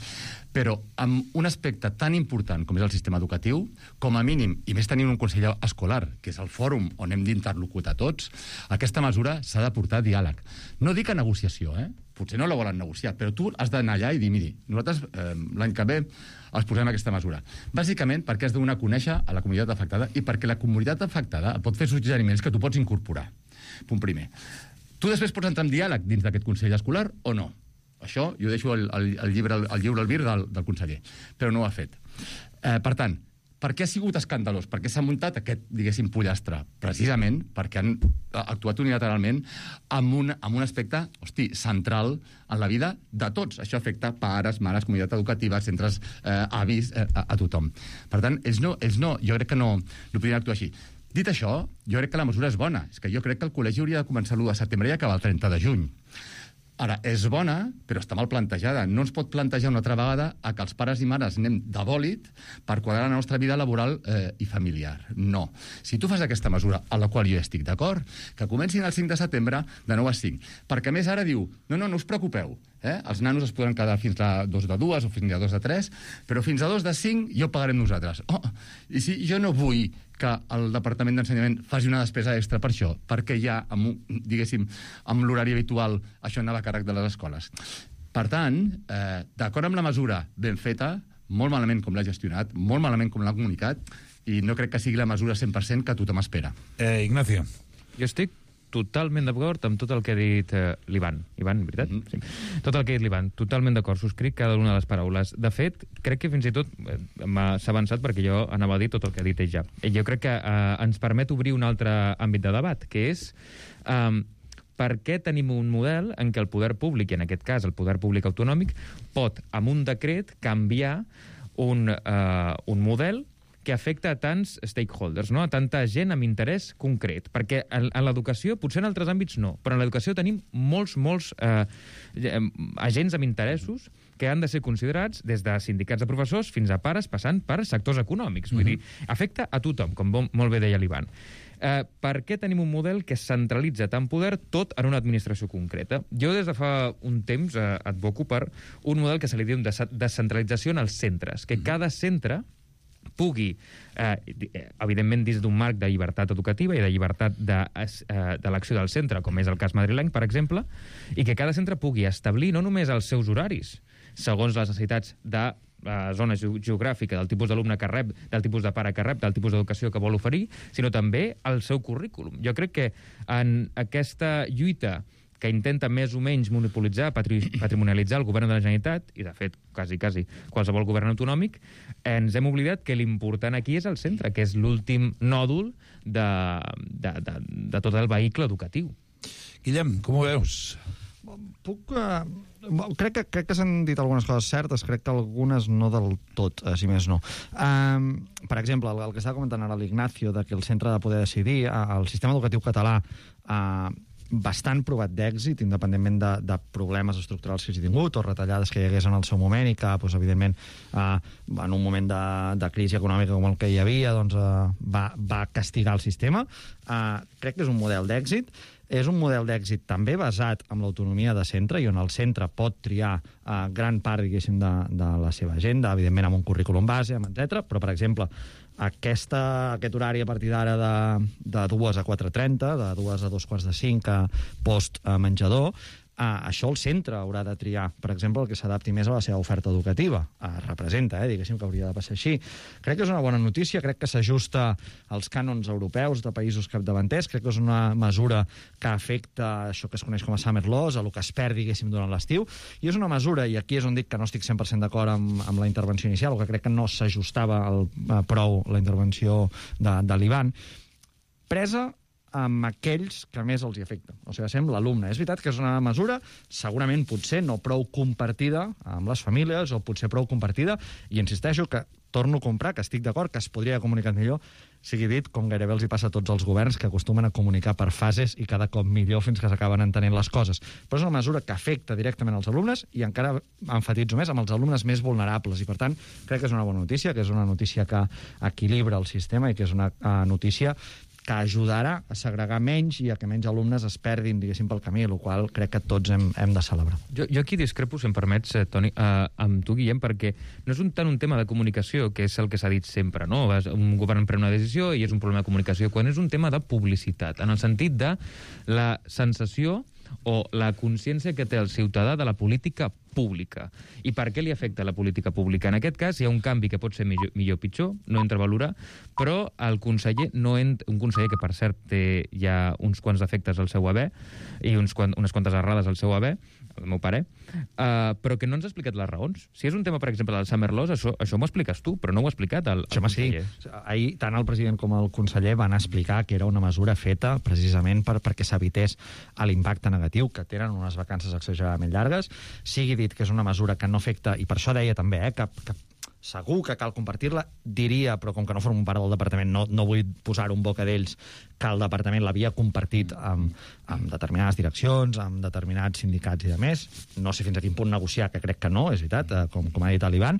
Però amb un aspecte tan important com és el sistema educatiu, com a mínim, i més tenint un conseller escolar, que és el fòrum on hem d'interlocutar tots, aquesta mesura s'ha de portar a diàleg. No dic a negociació, eh? Potser no la volen negociar, però tu has d'anar allà i dir, miri, nosaltres eh, l'any que ve els posem aquesta mesura. Bàsicament perquè has de donar a conèixer a la comunitat afectada i perquè la comunitat afectada pot fer suggeriments que tu pots incorporar. Punt primer. Tu després pots entrar en diàleg dins d'aquest consell escolar o no? Això jo deixo el, el, el llibre el llibre albir del, del conseller, però no ho ha fet. Eh, per tant, per què ha sigut escandalós? Per què s'ha muntat aquest, diguéssim, pollastre? Precisament perquè han actuat unilateralment amb un, amb un aspecte, hosti, central en la vida de tots. Això afecta pares, mares, comunitat educativa, centres, eh, avis, eh, a, a tothom. Per tant, ells no, ells no, jo crec que no, no podien actuar així. Dit això, jo crec que la mesura és bona. És que jo crec que el col·legi hauria de començar l'u de setembre i acabar el trenta de juny. Ara, és bona, però està mal plantejada. No ens pot plantejar una altra vegada a que els pares i mares anem de bòlit per quadrar la nostra vida laboral eh, i familiar. No. Si tu fas aquesta mesura, a la qual jo estic d'acord, que comencin el cinc de setembre de nou a cinc. Perquè, a més, ara diu, no, no, no us preocupeu, eh? Els nanos es podran quedar fins a dos de dues o fins a dos de tres, però fins a dos de cinc ja ho pagarem nosaltres. Oh, i si jo no vull que el Departament d'Ensenyament faci una despesa extra per això, perquè ja, amb, diguéssim, amb l'horari habitual, això anava a càrrec de les escoles. Per tant, eh, d'acord amb la mesura ben feta, molt malament com l'ha gestionat, molt malament com l'ha comunicat, i no crec que sigui la mesura cent per cent que tothom espera. Eh, Ignacio. Jo estic totalment d'acord amb tot el que ha dit eh, l'Ivan. Ivan, veritat? Mm -hmm. Sí. Tot el que ha dit l'Ivan. Totalment d'acord. Subscric cada una de les paraules. De fet, crec que fins i tot eh, s'ha avançat perquè jo anava a dir tot el que ha dit ell ja. I jo crec que eh, ens permet obrir un altre àmbit de debat, que és eh, per què tenim un model en què el poder públic, i en aquest cas el poder públic autonòmic, pot, amb un decret, canviar un, eh, un model que afecta a tants stakeholders, no? A tanta gent amb interès concret. Perquè en, en l'educació, potser en altres àmbits no, però en l'educació tenim molts, molts eh, agents amb interessos que han de ser considerats des de sindicats de professors fins a pares, passant per sectors econòmics. Vull mm-hmm. dir, afecta a tothom, com molt bé deia l'Ivan. Eh, per què tenim un model que centralitza tant poder tot en una administració concreta? Jo des de fa un temps eh, advoco per un model que se li diu de descentralització en els centres, que mm-hmm. cada centre pugui, eh, evidentment dins d'un marc de llibertat educativa i de llibertat d'elecció de, eh, del centre, com és el cas madrileny, per exemple, i que cada centre pugui establir no només els seus horaris, segons les necessitats de la zona geogràfica, del tipus d'alumne que rep, del tipus de pare que rep, del tipus d'educació que vol oferir, sinó també el seu currículum. Jo crec que en aquesta lluita que intenta més o menys monopolitzar, patri patrimonialitzar el govern de la Generalitat, i de fet, quasi, quasi, qualsevol govern autonòmic, ens hem oblidat que l'important aquí és el centre, que és l'últim nòdul de, de, de, de tot el vehicle educatiu. Guillem, com ho veus? Puc... Uh, crec que, crec que s'han dit algunes coses certes, crec que algunes no del tot, uh, si més no. Um, per exemple, el, el que estava comentant ara l'Ignacio, de que el centre ha de poder decidir, uh, el sistema educatiu català uh, bastant provat d'èxit, independentment de, de problemes estructurals que hagi tingut o retallades que hi hagués en el seu moment i que, doncs, evidentment, eh, en un moment de, de crisi econòmica com el que hi havia, doncs, eh, va, va castigar el sistema. Eh, crec que és un model d'èxit. És un model d'èxit també basat en l'autonomia de centre i on el centre pot triar eh, gran part, diguéssim, de, de la seva agenda, evidentment amb un currículum base, etcètera. Però, per exemple, aquesta, aquest horari a partir d'ara de, de dues a quatre trenta, de dues a dos quarts de cinc a post a menjador, Uh, això el centre haurà de triar, per exemple, el que s'adapti més a la seva oferta educativa. Uh, representa, eh, diguéssim, que hauria de passar així. Crec que és una bona notícia, crec que s'ajusta als cànons europeus de països capdavanters, crec que és una mesura que afecta això que es coneix com a summer loss, a el que es perd, diguéssim, durant l'estiu, i és una mesura, i aquí és on dic que no estic cent per cent d'acord amb, amb la intervenció inicial, o que crec que no s'ajustava uh, prou la intervenció de, de l'Ivan, presa amb aquells que més els hi afecta. O sigui, sembla l'alumne. És veritat que és una mesura segurament potser no prou compartida amb les famílies o potser prou compartida, i insisteixo que torno a comprar, que estic d'acord, que es podria haver comunicat millor, sigui dit, com gairebé els hi passa a tots els governs, que acostumen a comunicar per fases i cada cop millor fins que s'acaben entenent les coses. Però és una mesura que afecta directament als alumnes i encara enfatitzo més amb els alumnes més vulnerables. I, per tant, crec que és una bona notícia, que és una notícia que equilibra el sistema i que és una uh, notícia que ajudarà a segregar menys i a que menys alumnes es perdin, diguéssim, pel camí, el qual crec que tots hem, hem de celebrar. Jo, jo aquí discrepo, si em permets, eh, Toni, eh, amb tu, Guillem, perquè no és un, tant un tema de comunicació, que és el que s'ha dit sempre, no? Un govern pren una decisió i és un problema de comunicació, quan és un tema de publicitat, en el sentit de la sensació o la consciència que té el ciutadà de la política pública. I per què li afecta la política pública? En aquest cas hi ha un canvi que pot ser millor, millor o pitjor, no entra a valorar, però el conseller, no ent... un conseller que per cert té ja uns quants defectes al seu haver i uns quant... unes quantes errades al seu haver, el meu pare, uh, però que no ens ha explicat les raons. Si és un tema, per exemple, del Summer Laws, això, això m'ho expliques tu, però no ho ha explicat el, el conseller. Sí. Ahir tant el president com el conseller van explicar que era una mesura feta precisament per, perquè s'evités l'impacte negatiu que tenen unes vacances exageradament llargues. Sigui dit que és una mesura que no afecta, i per això deia també, eh, que, que segur que cal compartir-la, diria, però com que no formo part del departament, no, no vull posar-ho en boca d'ells, que el departament l'havia compartit amb, amb determinades direccions, amb determinats sindicats i demés. No sé fins a quin punt negociar, que crec que no, és veritat, eh, com, com ha dit l'Ivan,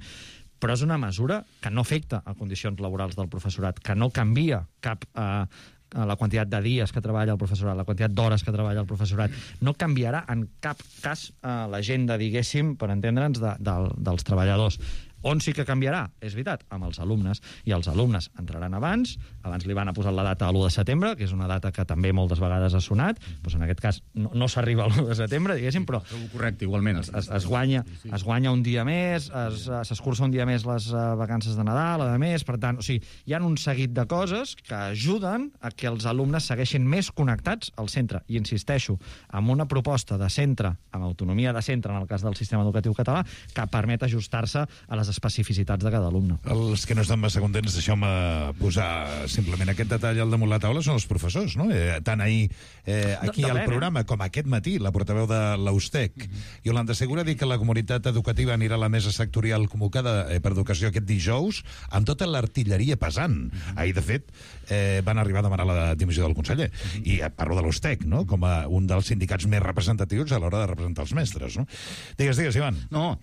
però és una mesura que no afecta a condicions laborals del professorat, que no canvia cap... Eh, la quantitat de dies que treballa el professorat, la quantitat d'hores que treballa el professorat, no canviarà en cap cas eh, l'agenda, diguéssim, per entendre'ns, de, de, dels treballadors. On sí que canviarà, és veritat, amb els alumnes. I els alumnes entraran abans, abans li van a posar la data a l'u de setembre, que és una data que també moltes vegades ha sonat, doncs en aquest cas no, no s'arriba a l'u de setembre, diguéssim, però... Correcte, igualment. Es, es, es, guanya, es guanya un dia més, s'escurça un dia més les uh, vacances de Nadal, a més, per tant, o sigui, hi ha un seguit de coses que ajuden a que els alumnes segueixin més connectats al centre. I insisteixo, amb una proposta de centre, amb autonomia de centre, en el cas del sistema educatiu català, que permet ajustar-se a les especificitats de cada alumne. Els que no estan massa contents, deixeu-me posar simplement aquest detall al damunt la taula, són els professors, no? Eh, tant ahir eh, aquí al programa com aquest matí, la portaveu de l'Austec, mm-hmm. Iolanda Segura, dir que la comunitat educativa anirà a la mesa sectorial convocada eh, per educació aquest dijous amb tota l'artilleria pesant. Mm-hmm. Ahir, de fet, eh, van arribar a demanar la dimissió del conseller. Mm-hmm. I eh, parlo de l'Austec, no? Com a un dels sindicats més representatius a l'hora de representar els mestres, no? Digues, digues, Ivan. No,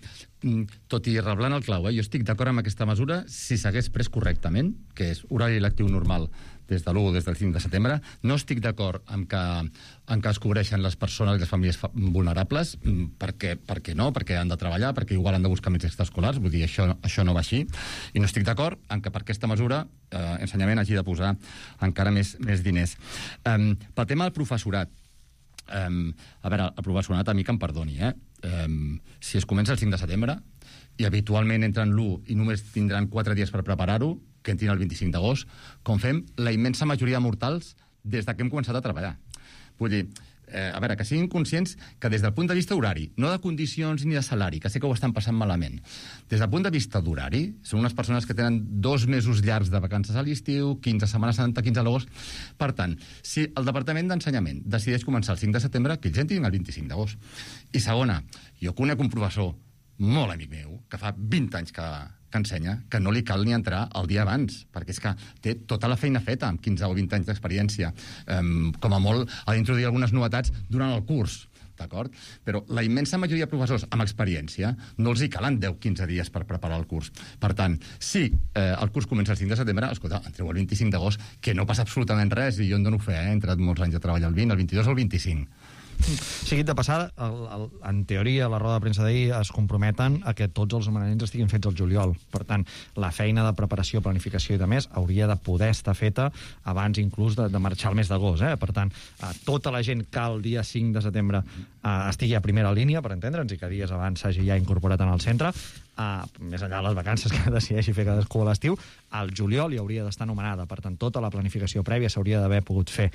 tot i reblant el clau, eh? Jo estic d'acord amb aquesta mesura si s'hagués pres correctament, que és horari lectiu normal des de l'u o des del cinc de setembre. No estic d'acord amb que, amb que es cobreixen les persones i les famílies vulnerables, perquè, perquè no, perquè han de treballar, perquè igual han de buscar més extraescolars, vull dir, això, això no va així. I no estic d'acord amb que per aquesta mesura eh, ensenyament hagi de posar encara més, més diners. Um, pel tema del professorat, um, a veure, el professorat a mi que em perdoni, eh? Um, si es comença el cinc de setembre i habitualment entren l'u i només tindran quatre dies per preparar-ho, que entrin el vint-i-cinc d'agost, com fem la immensa majoria de mortals des de que hem començat a treballar. Vull dir, eh, a veure, que siguin conscients que des del punt de vista horari, no de condicions ni de salari, que sé que ho estan passant malament, des del punt de vista d'horari, són unes persones que tenen dos mesos llargs de vacances a l'estiu, quinze setmanes santa, quinze a l'agost. Per tant, si el Departament d'Ensenyament decideix començar el cinc de setembre, que ells entrin el vint-i-cinc d'agost. I segona, jo conec un professor molt amic meu, que fa vint anys que, que ensenya, que no li cal ni entrar el dia abans, perquè és que té tota la feina feta, amb quinze o vint anys d'experiència. Um, com a molt, ha d'introduir algunes novetats durant el curs, d'acord? Però la immensa majoria de professors amb experiència no els hi calen deu o quinze dies per preparar el curs. Per tant, si eh, el curs comença el cinc de setembre, escolta, entreu el vint-i-cinc d'agost, que no passa absolutament res, i jo en dono fe, eh? He entrat molts anys a treballar el vint, el vint-i-dos o el vint-i-cinc. Seguit de passada, el, el, en teoria, a la roda de premsa d'ahir es comprometen a que tots els homenatjaments estiguin fets al juliol. Per tant, la feina de preparació, planificació i de més hauria de poder estar feta abans inclús de, de marxar el mes d'agost. Eh? Per tant, eh, tota la gent que el dia cinc de setembre eh, estigui a primera línia, per entendre'ns, i que dies abans s'hagi ja incorporat en el centre, Uh, més enllà de les vacances que decideixi fer cadascú a l'estiu, al juliol hi hauria d'estar anomenada. Per tant, tota la planificació prèvia s'hauria d'haver pogut fer.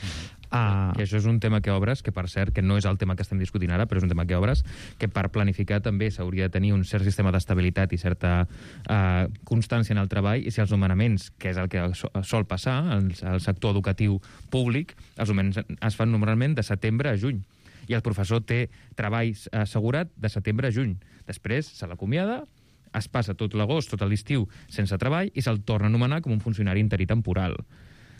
Uh... Que això és un tema que obres, que per cert, que no és el tema que estem discutint ara, però és un tema que obres, que per planificar també s'hauria de tenir un cert sistema d'estabilitat i certa uh, constància en el treball, i si els nomenaments, que és el que sol passar al, al sector educatiu públic, els nomenaments es fan normalment de setembre a juny. I el professor té treball assegurat de setembre a juny. Després se l'acomiada, es passa tot l'agost, tot l'estiu, sense treball, i se'l torna a anomenar com un funcionari interí temporal.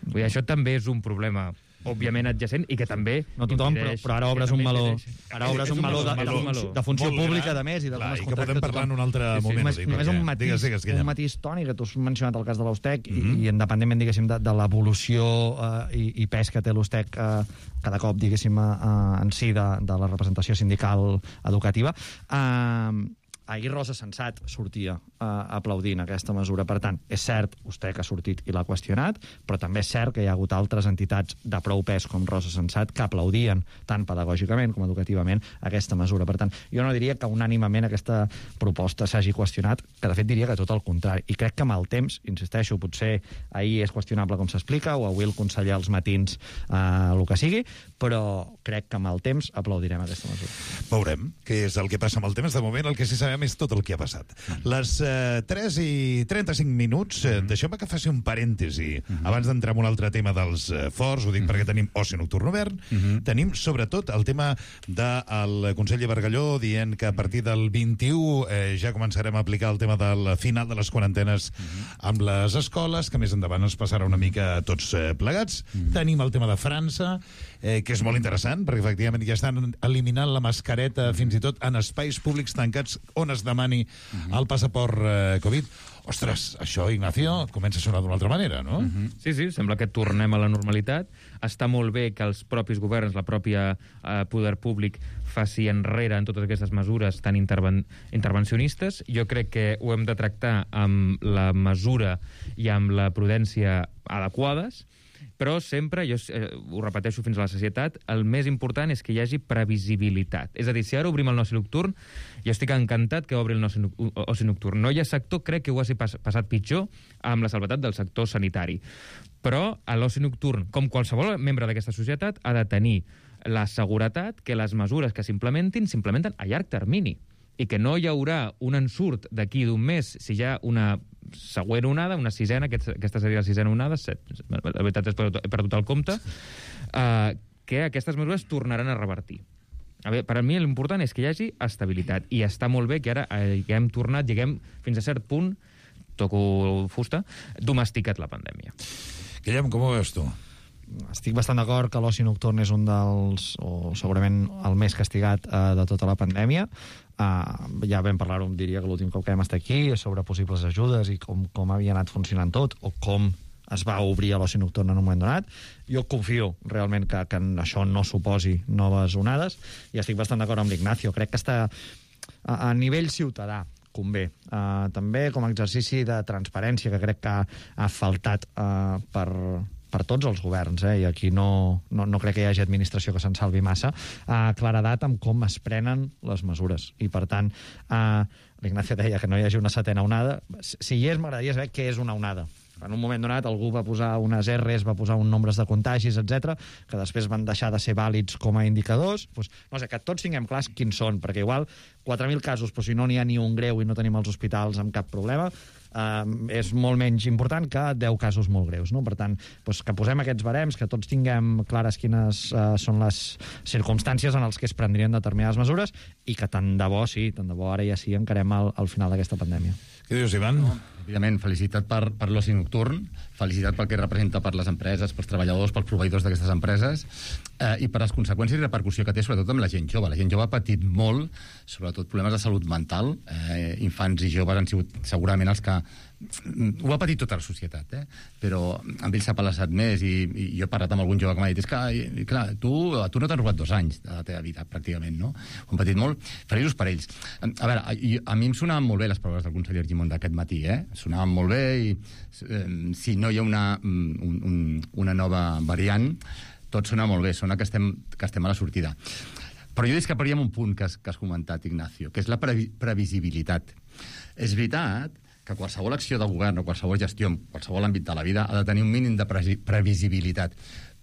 Vull dir, això també és un problema, òbviament adjacent, i que també... No tothom, però, però ara obres un meló, ara obres un meló de, de, de funció pública, de més, i de com es contracta. I que podem parlar en un altre sí, sí, moment. Només, només un matís, digues, digues, un matís tònic, que tu has mencionat el cas de l'Ostec, mm -hmm. i, i independentment, diguéssim, de, de l'evolució eh, i, i pes que té l'Ostec eh, cada cop, diguéssim, eh, en si de, de la representació sindical educativa, eh, ahir Rosa Sensat sortia uh, aplaudint aquesta mesura. Per tant, és cert, vostè que ha sortit i l'ha qüestionat, però també és cert que hi ha hagut altres entitats de prou pes com Rosa Sensat que aplaudien tant pedagògicament com educativament aquesta mesura. Per tant, jo no diria que unànimament aquesta proposta s'hagi qüestionat, que de fet diria que tot el contrari. I crec que amb el temps, insisteixo, potser ahir és qüestionable com s'explica, o avui el conseller als matins uh, el que sigui, però crec que amb el temps aplaudirem aquesta mesura. Veurem què és el que passa amb el temps. De moment el que sí sabem és tot el que ha passat. Les eh, tres i trenta-cinc minuts, eh, deixeu-me que faci un parèntesi. Uh-huh. Abans d'entrar en un altre tema dels eh, forts, ho dic uh-huh. perquè tenim oci nocturn obert, uh-huh. tenim sobretot el tema del conseller Bargalló dient que a partir del vint-i-u eh, ja començarem a aplicar el tema del final de les quarantenes uh-huh. amb les escoles, que més endavant es passarà una mica tots eh, plegats. Uh-huh. Tenim el tema de França, eh, que és molt interessant, perquè efectivament ja estan eliminant la mascareta uh-huh. fins i tot en espais públics tancats on es demani uh-huh. el passaport eh, Covid. Ostres, això, Ignacio, comença a sonar d'una altra manera, no? Uh-huh. Sí, sí, sembla que tornem a la normalitat. Està molt bé que els propis governs, la pròpia eh, poder públic, faci enrere en totes aquestes mesures tan interven intervencionistes. Jo crec que ho hem de tractar amb la mesura i amb la prudència adequades, però sempre, jo eh, ho repeteixo fins a la sacietat, el més important és que hi hagi previsibilitat. És a dir, si ara obrim el oci nocturn, jo estic encantat que obri el oci nocturn. No hi ha sector, crec que ho hagi pas passat pitjor amb la salvetat del sector sanitari. Però l'oci nocturn, com qualsevol membre d'aquesta societat, ha de tenir la seguretat que les mesures que s'implementin s'implementen a llarg termini i que no hi haurà un ensurt d'aquí d'un mes si hi ha una següent onada, una sisena, aquesta, aquesta seria la sisena onada, set, la veritat és que he perdut el compte, uh, que aquestes mesures tornaran a revertir. A veure, per a mi l'important és que hi hagi estabilitat, i està molt bé que ara eh, ja hem tornat, lleguem fins a cert punt, toco fusta, domesticat la pandèmia. Guillem, com ho veus tu? Estic bastant d'acord que l'oci nocturn és un dels, o segurament el més castigat eh, de tota la pandèmia. Uh, ja vam parlar-ho, diria que l'últim cop que vam estar aquí, sobre possibles ajudes i com, com havia anat funcionant tot, o com es va obrir a l'oci nocturn en un moment donat. Jo confio realment que, que això no suposi noves onades, i estic bastant d'acord amb l'Ignacio. Crec que està a, a nivell ciutadà convé. Uh, també com a exercici de transparència, que crec que ha, ha faltat uh, per... per tots els governs, eh? I aquí no, no, no crec que hi hagi administració que se'n salvi massa, eh, claredat amb com es prenen les mesures. I, per tant, eh, l'Ignacio deia que no hi hagi una setena onada. Si hi és, m'agradaria saber què és una onada. En un moment donat algú va posar unes erres, va posar un nombres de contagis, etcètera, que després van deixar de ser vàlids com a indicadors. Pues, no sé, que tots tinguem clars quins són, perquè igual quatre mil casos, però si no n'hi ha ni un greu i no tenim els hospitals amb cap problema, Uh, és molt menys important que deu casos molt greus, no? Per tant, doncs, que posem aquests barems, que tots tinguem clares quines uh, són les circumstàncies en les que es prendrien determinades mesures, i que tant de bo, sí, tant de bo ara ja sí encarem al, al final d'aquesta pandèmia. Què dius, Ivan? No, evidentment, felicitat per, per l'oci nocturn, felicitat pel que representa per les empreses, pels treballadors, pels proveïdors d'aquestes empreses, eh, i per les conseqüències i repercussió que té, sobretot amb la gent jove. La gent jove ha patit molt, sobretot problemes de salut mental. Eh, infants i joves han sigut segurament els que ho ha patit tota la societat, eh? Però amb ells s'ha palassat més, i, i jo he parlat amb algun jove que m'ha dit, és que, i, clar, tu, tu no t'has robat dos anys de la teva vida, pràcticament, no? Ho han patit molt, feliços per ells. A veure, a, a mi em sonaven molt bé les paraules del conseller Argimon d'aquest matí, eh? Sonaven molt bé, i eh, si no hi ha una, un, un, una nova variant, tot sona molt bé, sona que estem, que estem a la sortida. Però jo discreparia amb un punt que has, que has comentat, Ignacio, que és la previ previsibilitat. És veritat que qualsevol acció de govern o qualsevol gestió en qualsevol àmbit de la vida ha de tenir un mínim de pre previsibilitat.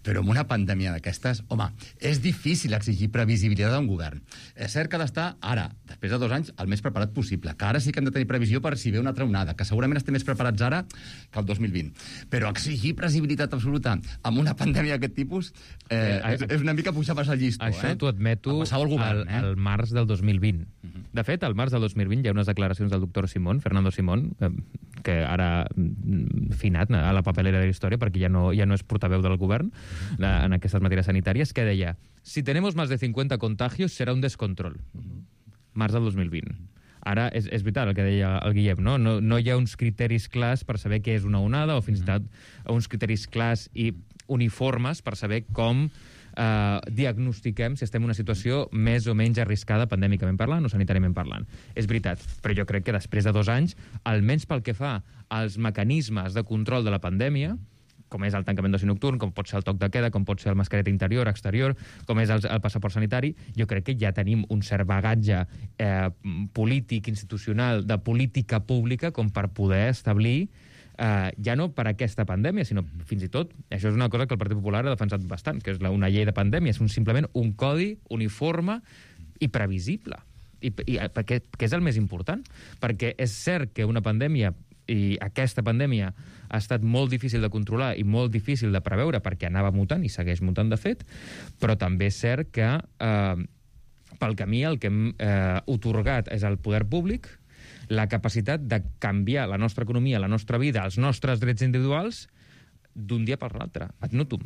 Però amb una pandèmia d'aquestes, home, és difícil exigir previsibilitat a un govern. És cert que ha d'estar ara, després de dos anys, el més preparat possible, que ara sí que hem de tenir previsió per si ve una altra onada, que segurament estem més preparats ara que el dos mil vint. Però exigir previsibilitat absoluta amb una pandèmia d'aquest tipus eh, eh, és, és una mica pujar pas al llisto. Això eh? t'ho admeto el, govern, al, eh? al març del dos mil vint. Uh -huh. De fet, al març del dos mil vint hi ha unes declaracions del doctor Simón, Fernando Simón, eh, que ara finat a la papelera de la història perquè ja no, ja no és portaveu del govern la, en aquestes matèries sanitàries, que deia: si tenemos más de cincuenta contagios serà un descontrol. Març del dos mil vint. Ara, és, és veritat el que deia el Guillem, no? No, no hi ha uns criteris clars per saber què és una onada, o fins i tot uns criteris clars i uniformes per saber com eh, diagnostiquem si estem en una situació més o menys arriscada pandèmicament parlant o sanitàriament parlant. És veritat, però jo crec que després de dos anys, almenys pel que fa als mecanismes de control de la pandèmia, com és el tancament d'oci nocturn, com pot ser el toc de queda, com pot ser el mascareta interior, exterior, com és el, el passaport sanitari, jo crec que ja tenim un cert bagatge eh, polític, institucional, de política pública, com per poder establir, eh, ja no per aquesta pandèmia, sinó fins i tot, això és una cosa que el Partit Popular ha defensat bastant, que és la, una llei de pandèmia, és un, simplement un codi uniforme i previsible, i, i, perquè, que és el més important, perquè és cert que una pandèmia, i aquesta pandèmia ha estat molt difícil de controlar i molt difícil de preveure perquè anava mutant i segueix mutant de fet, però també és cert que eh, pel camí el que hem eh, otorgat és al poder públic la capacitat de canviar la nostra economia, la nostra vida, els nostres drets individuals d'un dia per l'altre, ad nutum.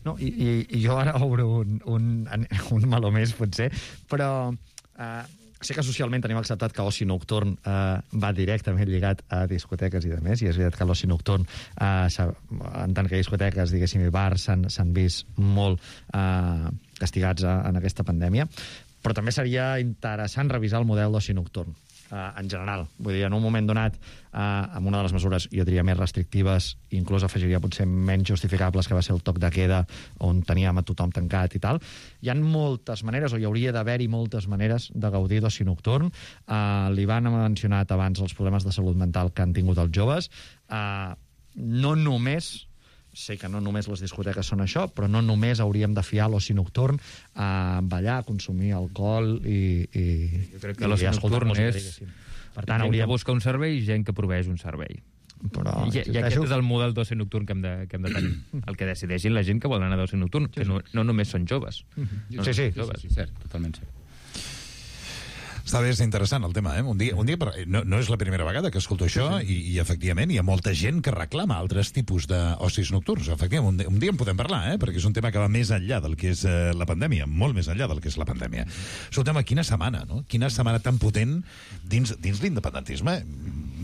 No, i, i, i jo ara obro un, un, un meló més, potser, però eh, sé que socialment tenim acceptat que l'oci nocturn eh, va directament lligat a discoteques i demés, i és veritat que l'oci nocturn, eh, en tant que discoteques, diguéssim, i bars, s'han vist molt eh, castigats a, en aquesta pandèmia, però també seria interessant revisar el model d'oci nocturn. Uh, en general. Vull dir, en un moment donat, uh, amb una de les mesures, jo diria, més restrictives, inclús afegiria potser menys justificables, que va ser el toc de queda, on teníem a tothom tancat i tal, hi ha moltes maneres, o hi hauria d'haver-hi moltes maneres de gaudir d'oci nocturn. Uh, li van mencionat abans els problemes de salut mental que han tingut els joves. Uh, no només sé que no només les discoteques són això, però no només hauríem de fiar l'oci nocturn a ballar, a consumir alcohol i... i jo crec que l'oci nocturn és... Per tant, gent hauríem... que busca un servei i gent que proveeix un servei. Però, I, I aquest és el model d'oci nocturn que hem de, que hem de tenir. El que decideixin la gent que vol anar d'oci nocturn, que no, no només són joves. No sí, sí, joves. sí, sí, cert, totalment cert. Està bé, és interessant el tema, eh? Un dia, un dia no, no és la primera vegada que escolto això i, i efectivament hi ha molta gent que reclama altres tipus d'ocis nocturns. Efectivament, un, dia, un dia en podem parlar, eh? Perquè és un tema que va més enllà del que és eh, la pandèmia, molt més enllà del que és la pandèmia. Escolta'm, quina setmana, no? Quina setmana tan potent dins, dins l'independentisme.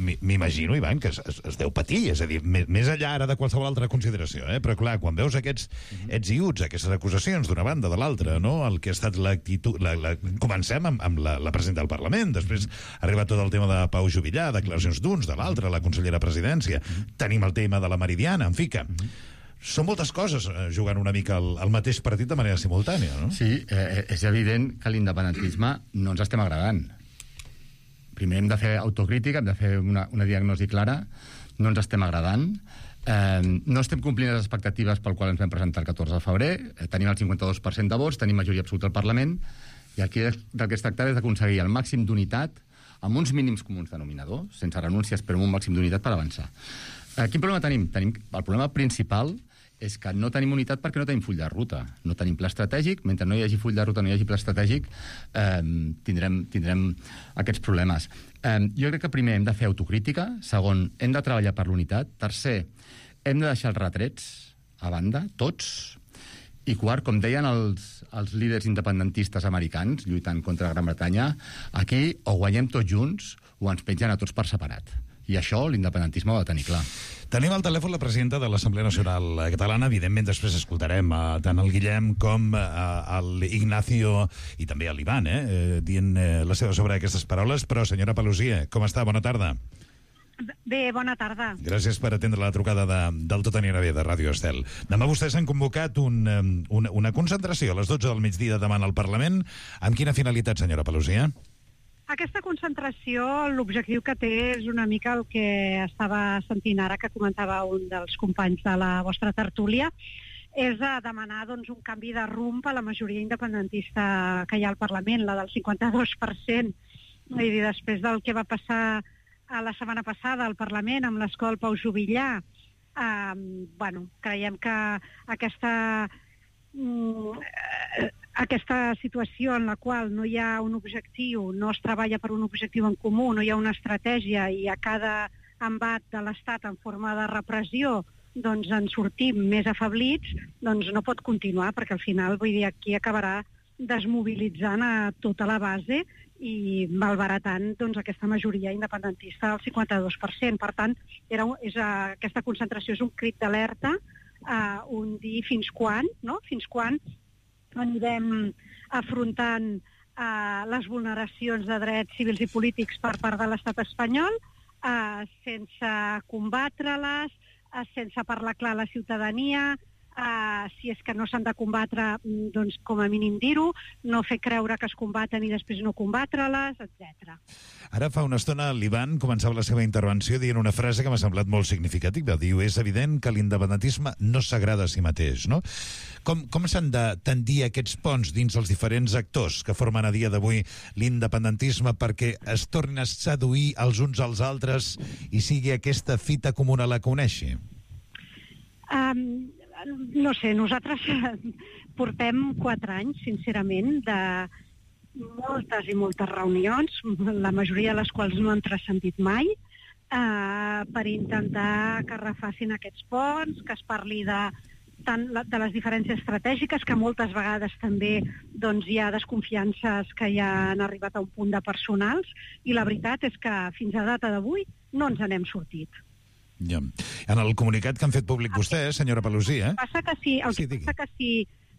M'imagino, Ivan, que es, es, es deu patir, és a dir, més, més enllà ara de qualsevol altra consideració, eh? Però clar, quan veus aquests ets i uts, aquestes acusacions d'una banda de l'altra, no? El que ha estat l'actitud... La, la, comencem amb, amb la, la presidenta del Parlament, després ha arribat tot el tema de Pau Juvillà, declaracions d'uns, de l'altre, la consellera Presidència, tenim el tema de la Meridiana, en fi, que són moltes coses jugant una mica al, al mateix partit de manera simultània, no? Sí, eh, és evident que l'independentisme no ens estem agradant. Primer hem de fer autocrítica, hem de fer una, una diagnosi clara, no ens estem agradant, eh, no estem complint les expectatives pel qual ens vam presentar el catorze de febrer, eh, tenim el cinquanta-dos per cent de vots, tenim majoria absoluta al Parlament, i aquí del que es tractava és d'aconseguir el màxim d'unitat amb uns mínims comuns denominadors, sense renúncies, però amb un màxim d'unitat per avançar. Eh, quin problema tenim? tenim? El problema principal és que no tenim unitat perquè no tenim full de ruta. No tenim pla estratègic. Mentre no hi hagi full de ruta, no hi hagi pla estratègic, eh, tindrem, tindrem aquests problemes. Eh, jo crec que primer hem de fer autocrítica. Segon, hem de treballar per l'unitat. Tercer, hem de deixar els retrets a banda, tots. I quart, com deien els, els líders independentistes americans lluitant contra Gran Bretanya, aquí o guanyem tots junts o ens pengen a tots per separat. I això l'independentisme ho ha de tenir clar. Tenim al telèfon la presidenta de l'Assemblea Nacional Catalana. Evidentment, després escoltarem uh, tant el Guillem com uh, l'Ignacio i també l'Ivan, eh, eh, dient eh, la seva sobre aquestes paraules. Però, senyora Paluzie, com està? Bona tarda. Bé, bona tarda. Gràcies per atendre la trucada de, del Tot anirà bé de Ràdio Estel. Demà vostès han convocat un, una, una concentració a les dotze del migdia demà al Parlament. Amb quina finalitat, senyora Paluzie? Aquesta concentració, l'objectiu que té és una mica el que estava sentint ara, que comentava un dels companys de la vostra tertúlia. és a demanar doncs, un canvi de rumb a la majoria independentista que hi ha al Parlament, la del cinquanta-dos per cent. Vull dir, després del que va passar a la setmana passada al Parlament amb l'escola Pau Juvillà, eh, bueno, creiem que aquesta, mm, aquesta situació en la qual no hi ha un objectiu, no es treballa per un objectiu en comú, no hi ha una estratègia i a cada embat de l'Estat en forma de repressió doncs en sortim més afablits, doncs no pot continuar, perquè al final, vull dir, aquí acabarà desmobilitzant a tota la base i malbaratant doncs, aquesta majoria independentista del cinquanta-dos per cent. Per tant, era, és, uh, aquesta concentració és un crit d'alerta, uh, un dir fins quan, no? Fins quan anirem afrontant uh, les vulneracions de drets civils i polítics per part de l'estat espanyol, uh, sense combatre-les, sense parlar clar a la ciutadania, uh, si és que no s'han de combatre, doncs com a mínim dir-ho, no fer creure que es combaten i després no combatre-les, etcètera. Ara fa una estona l'Ivan començava la seva intervenció dient una frase que m'ha semblat molt significativa. Diu, és evident que l'independentisme no s'agrada a si mateix, no? Com, com s'han de tendir aquests ponts dins els diferents actors que formen a dia d'avui l'independentisme perquè es tornin a seduir els uns als altres i sigui aquesta fita comuna la que uneixi? Um, no sé, nosaltres portem quatre anys, sincerament, de moltes i moltes reunions, la majoria de les quals no han transcendit mai, uh, per intentar que refacin aquests ponts, que es parli de tant de les diferències estratègiques, que moltes vegades també doncs, hi ha desconfiances que ja han arribat a un punt de personals, i la veritat és que fins a data d'avui no ens n'hem sortit. Ja. En el comunicat que han fet públic vostès, senyora Pelosi, eh? Passa que sí, el sí, que passa que si,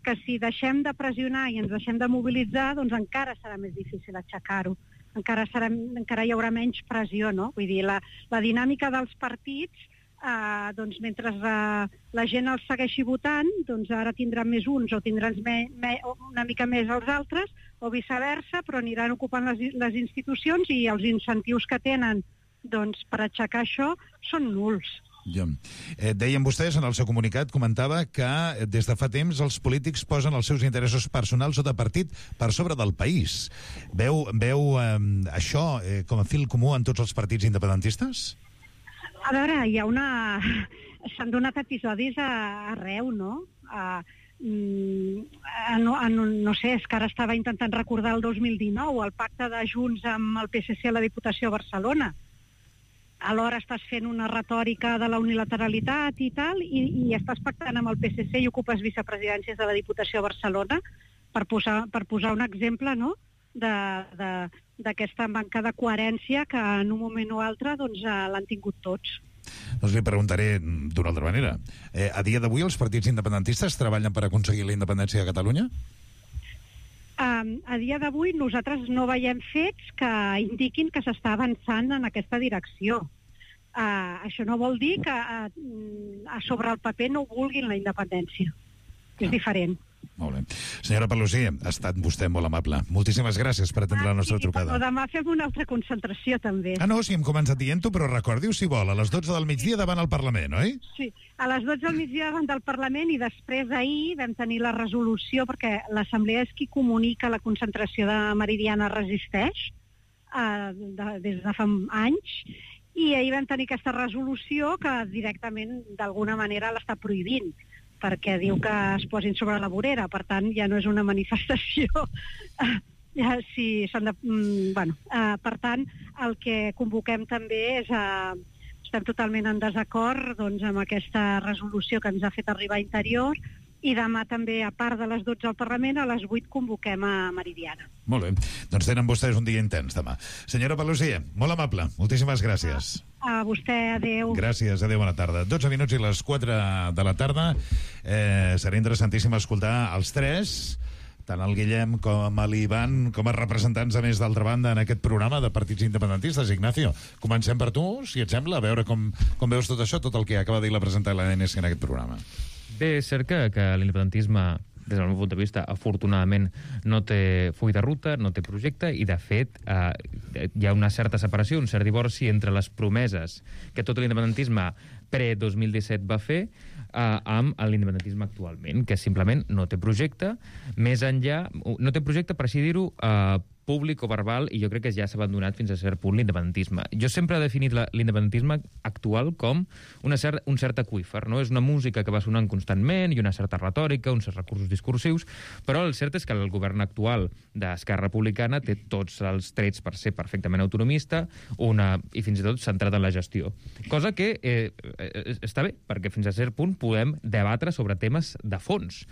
que si deixem de pressionar i ens deixem de mobilitzar, doncs encara serà més difícil aixecar-ho. Encara, serà, encara hi haurà menys pressió, no? Vull dir, la, la dinàmica dels partits, Uh, doncs mentre uh, la gent els segueixi votant, doncs ara tindran més uns o tindran me, me, una mica més els altres, o viceversa, però aniran ocupant les, les institucions i els incentius que tenen doncs, per aixecar això són nuls. Ja. Eh, deien vostès, en el seu comunicat, comentava que des de fa temps els polítics posen els seus interessos personals o de partit per sobre del país. Veu, veu eh, això eh, com a fil comú en tots els partits independentistes? A veure, hi ha una... S'han donat episodis a, arreu, no? A, a, no, a, no sé, és que ara estava intentant recordar el dos mil dinou, el pacte de Junts amb el P S C a la Diputació de Barcelona. Alhora estàs fent una retòrica de la unilateralitat i tal, i, i estàs pactant amb el P S C i ocupes vicepresidències de la Diputació de Barcelona, per posar, per posar un exemple, no?, de... de d'aquesta manca de coherència que en un moment o altre doncs, l'han tingut tots. Doncs li preguntaré d'una altra manera. Eh, a dia d'avui els partits independentistes treballen per aconseguir la independència de Catalunya? Um, a dia d'avui nosaltres no veiem fets que indiquin que s'està avançant en aquesta direcció. Uh, això no vol dir que uh, a sobre el paper no vulguin la independència. És diferent. Molt bé. Senyora Pelosi, ha estat vostè molt amable. Moltíssimes gràcies per atendre ah, la nostra sí, trucada. Però demà fem una altra concentració, també. Ah, no, sí, hem començat dient-ho, però recordi-ho si vol, a les dotze del migdia davant el Parlament, oi? Sí, a les dotze del migdia davant del Parlament, i després ahir vam tenir la resolució, perquè l'Assemblea és qui comunica la concentració de Meridiana Resisteix, eh, de, des de fa anys, i ahir vam tenir aquesta resolució que directament, d'alguna manera, l'està prohibint, perquè diu que es posin sobre la vorera. Per tant, ja no és una manifestació. Ja, sí, s'han de, bueno, uh, per tant, el que convoquem també és... Uh, estem totalment en desacord doncs, amb aquesta resolució que ens ha fet arribar a Interior, i demà també, a part de les dotze al Parlament, a les vuit convoquem a Meridiana. Molt bé. Doncs tenen vostès un dia intens demà. Senyora Pelosi, molt amable. Moltíssimes gràcies. A vostè, adeu. Gràcies, adeu, bona tarda. dotze minuts i les quatre de la tarda. Eh, serà interessantíssim escoltar els tres, tant el Guillem com l'Ivan, com a representants, a més, d'altra banda, en aquest programa de partits independentistes. Ignacio, comencem per tu, si et sembla, a veure com, com veus tot això, tot el que acaba de dir la presentar l'A N S en aquest programa. Bé, és cert que, que l'independentisme, des del meu punt de vista, afortunadament no té full de ruta, no té projecte, i de fet eh, hi ha una certa separació, un cert divorci entre les promeses que tot l'independentisme pre-dos mil disset va fer eh, amb l'independentisme actualment, que simplement no té projecte, més enllà, no té projecte, per així dir-ho, eh, públic o verbal, i jo crec que ja s'ha abandonat fins a cert punt l'independentisme. Jo sempre he definit l'independentisme actual com una cert, un cert aqüífer, no? És una música que va sonant constantment i una certa retòrica, uns certs recursos discursius, però el cert és que el govern actual d'Esquerra Republicana té tots els trets per ser perfectament autonomista una, i fins i tot centrat en la gestió. Cosa que eh, està bé, perquè fins a cert punt podem debatre sobre temes de fons.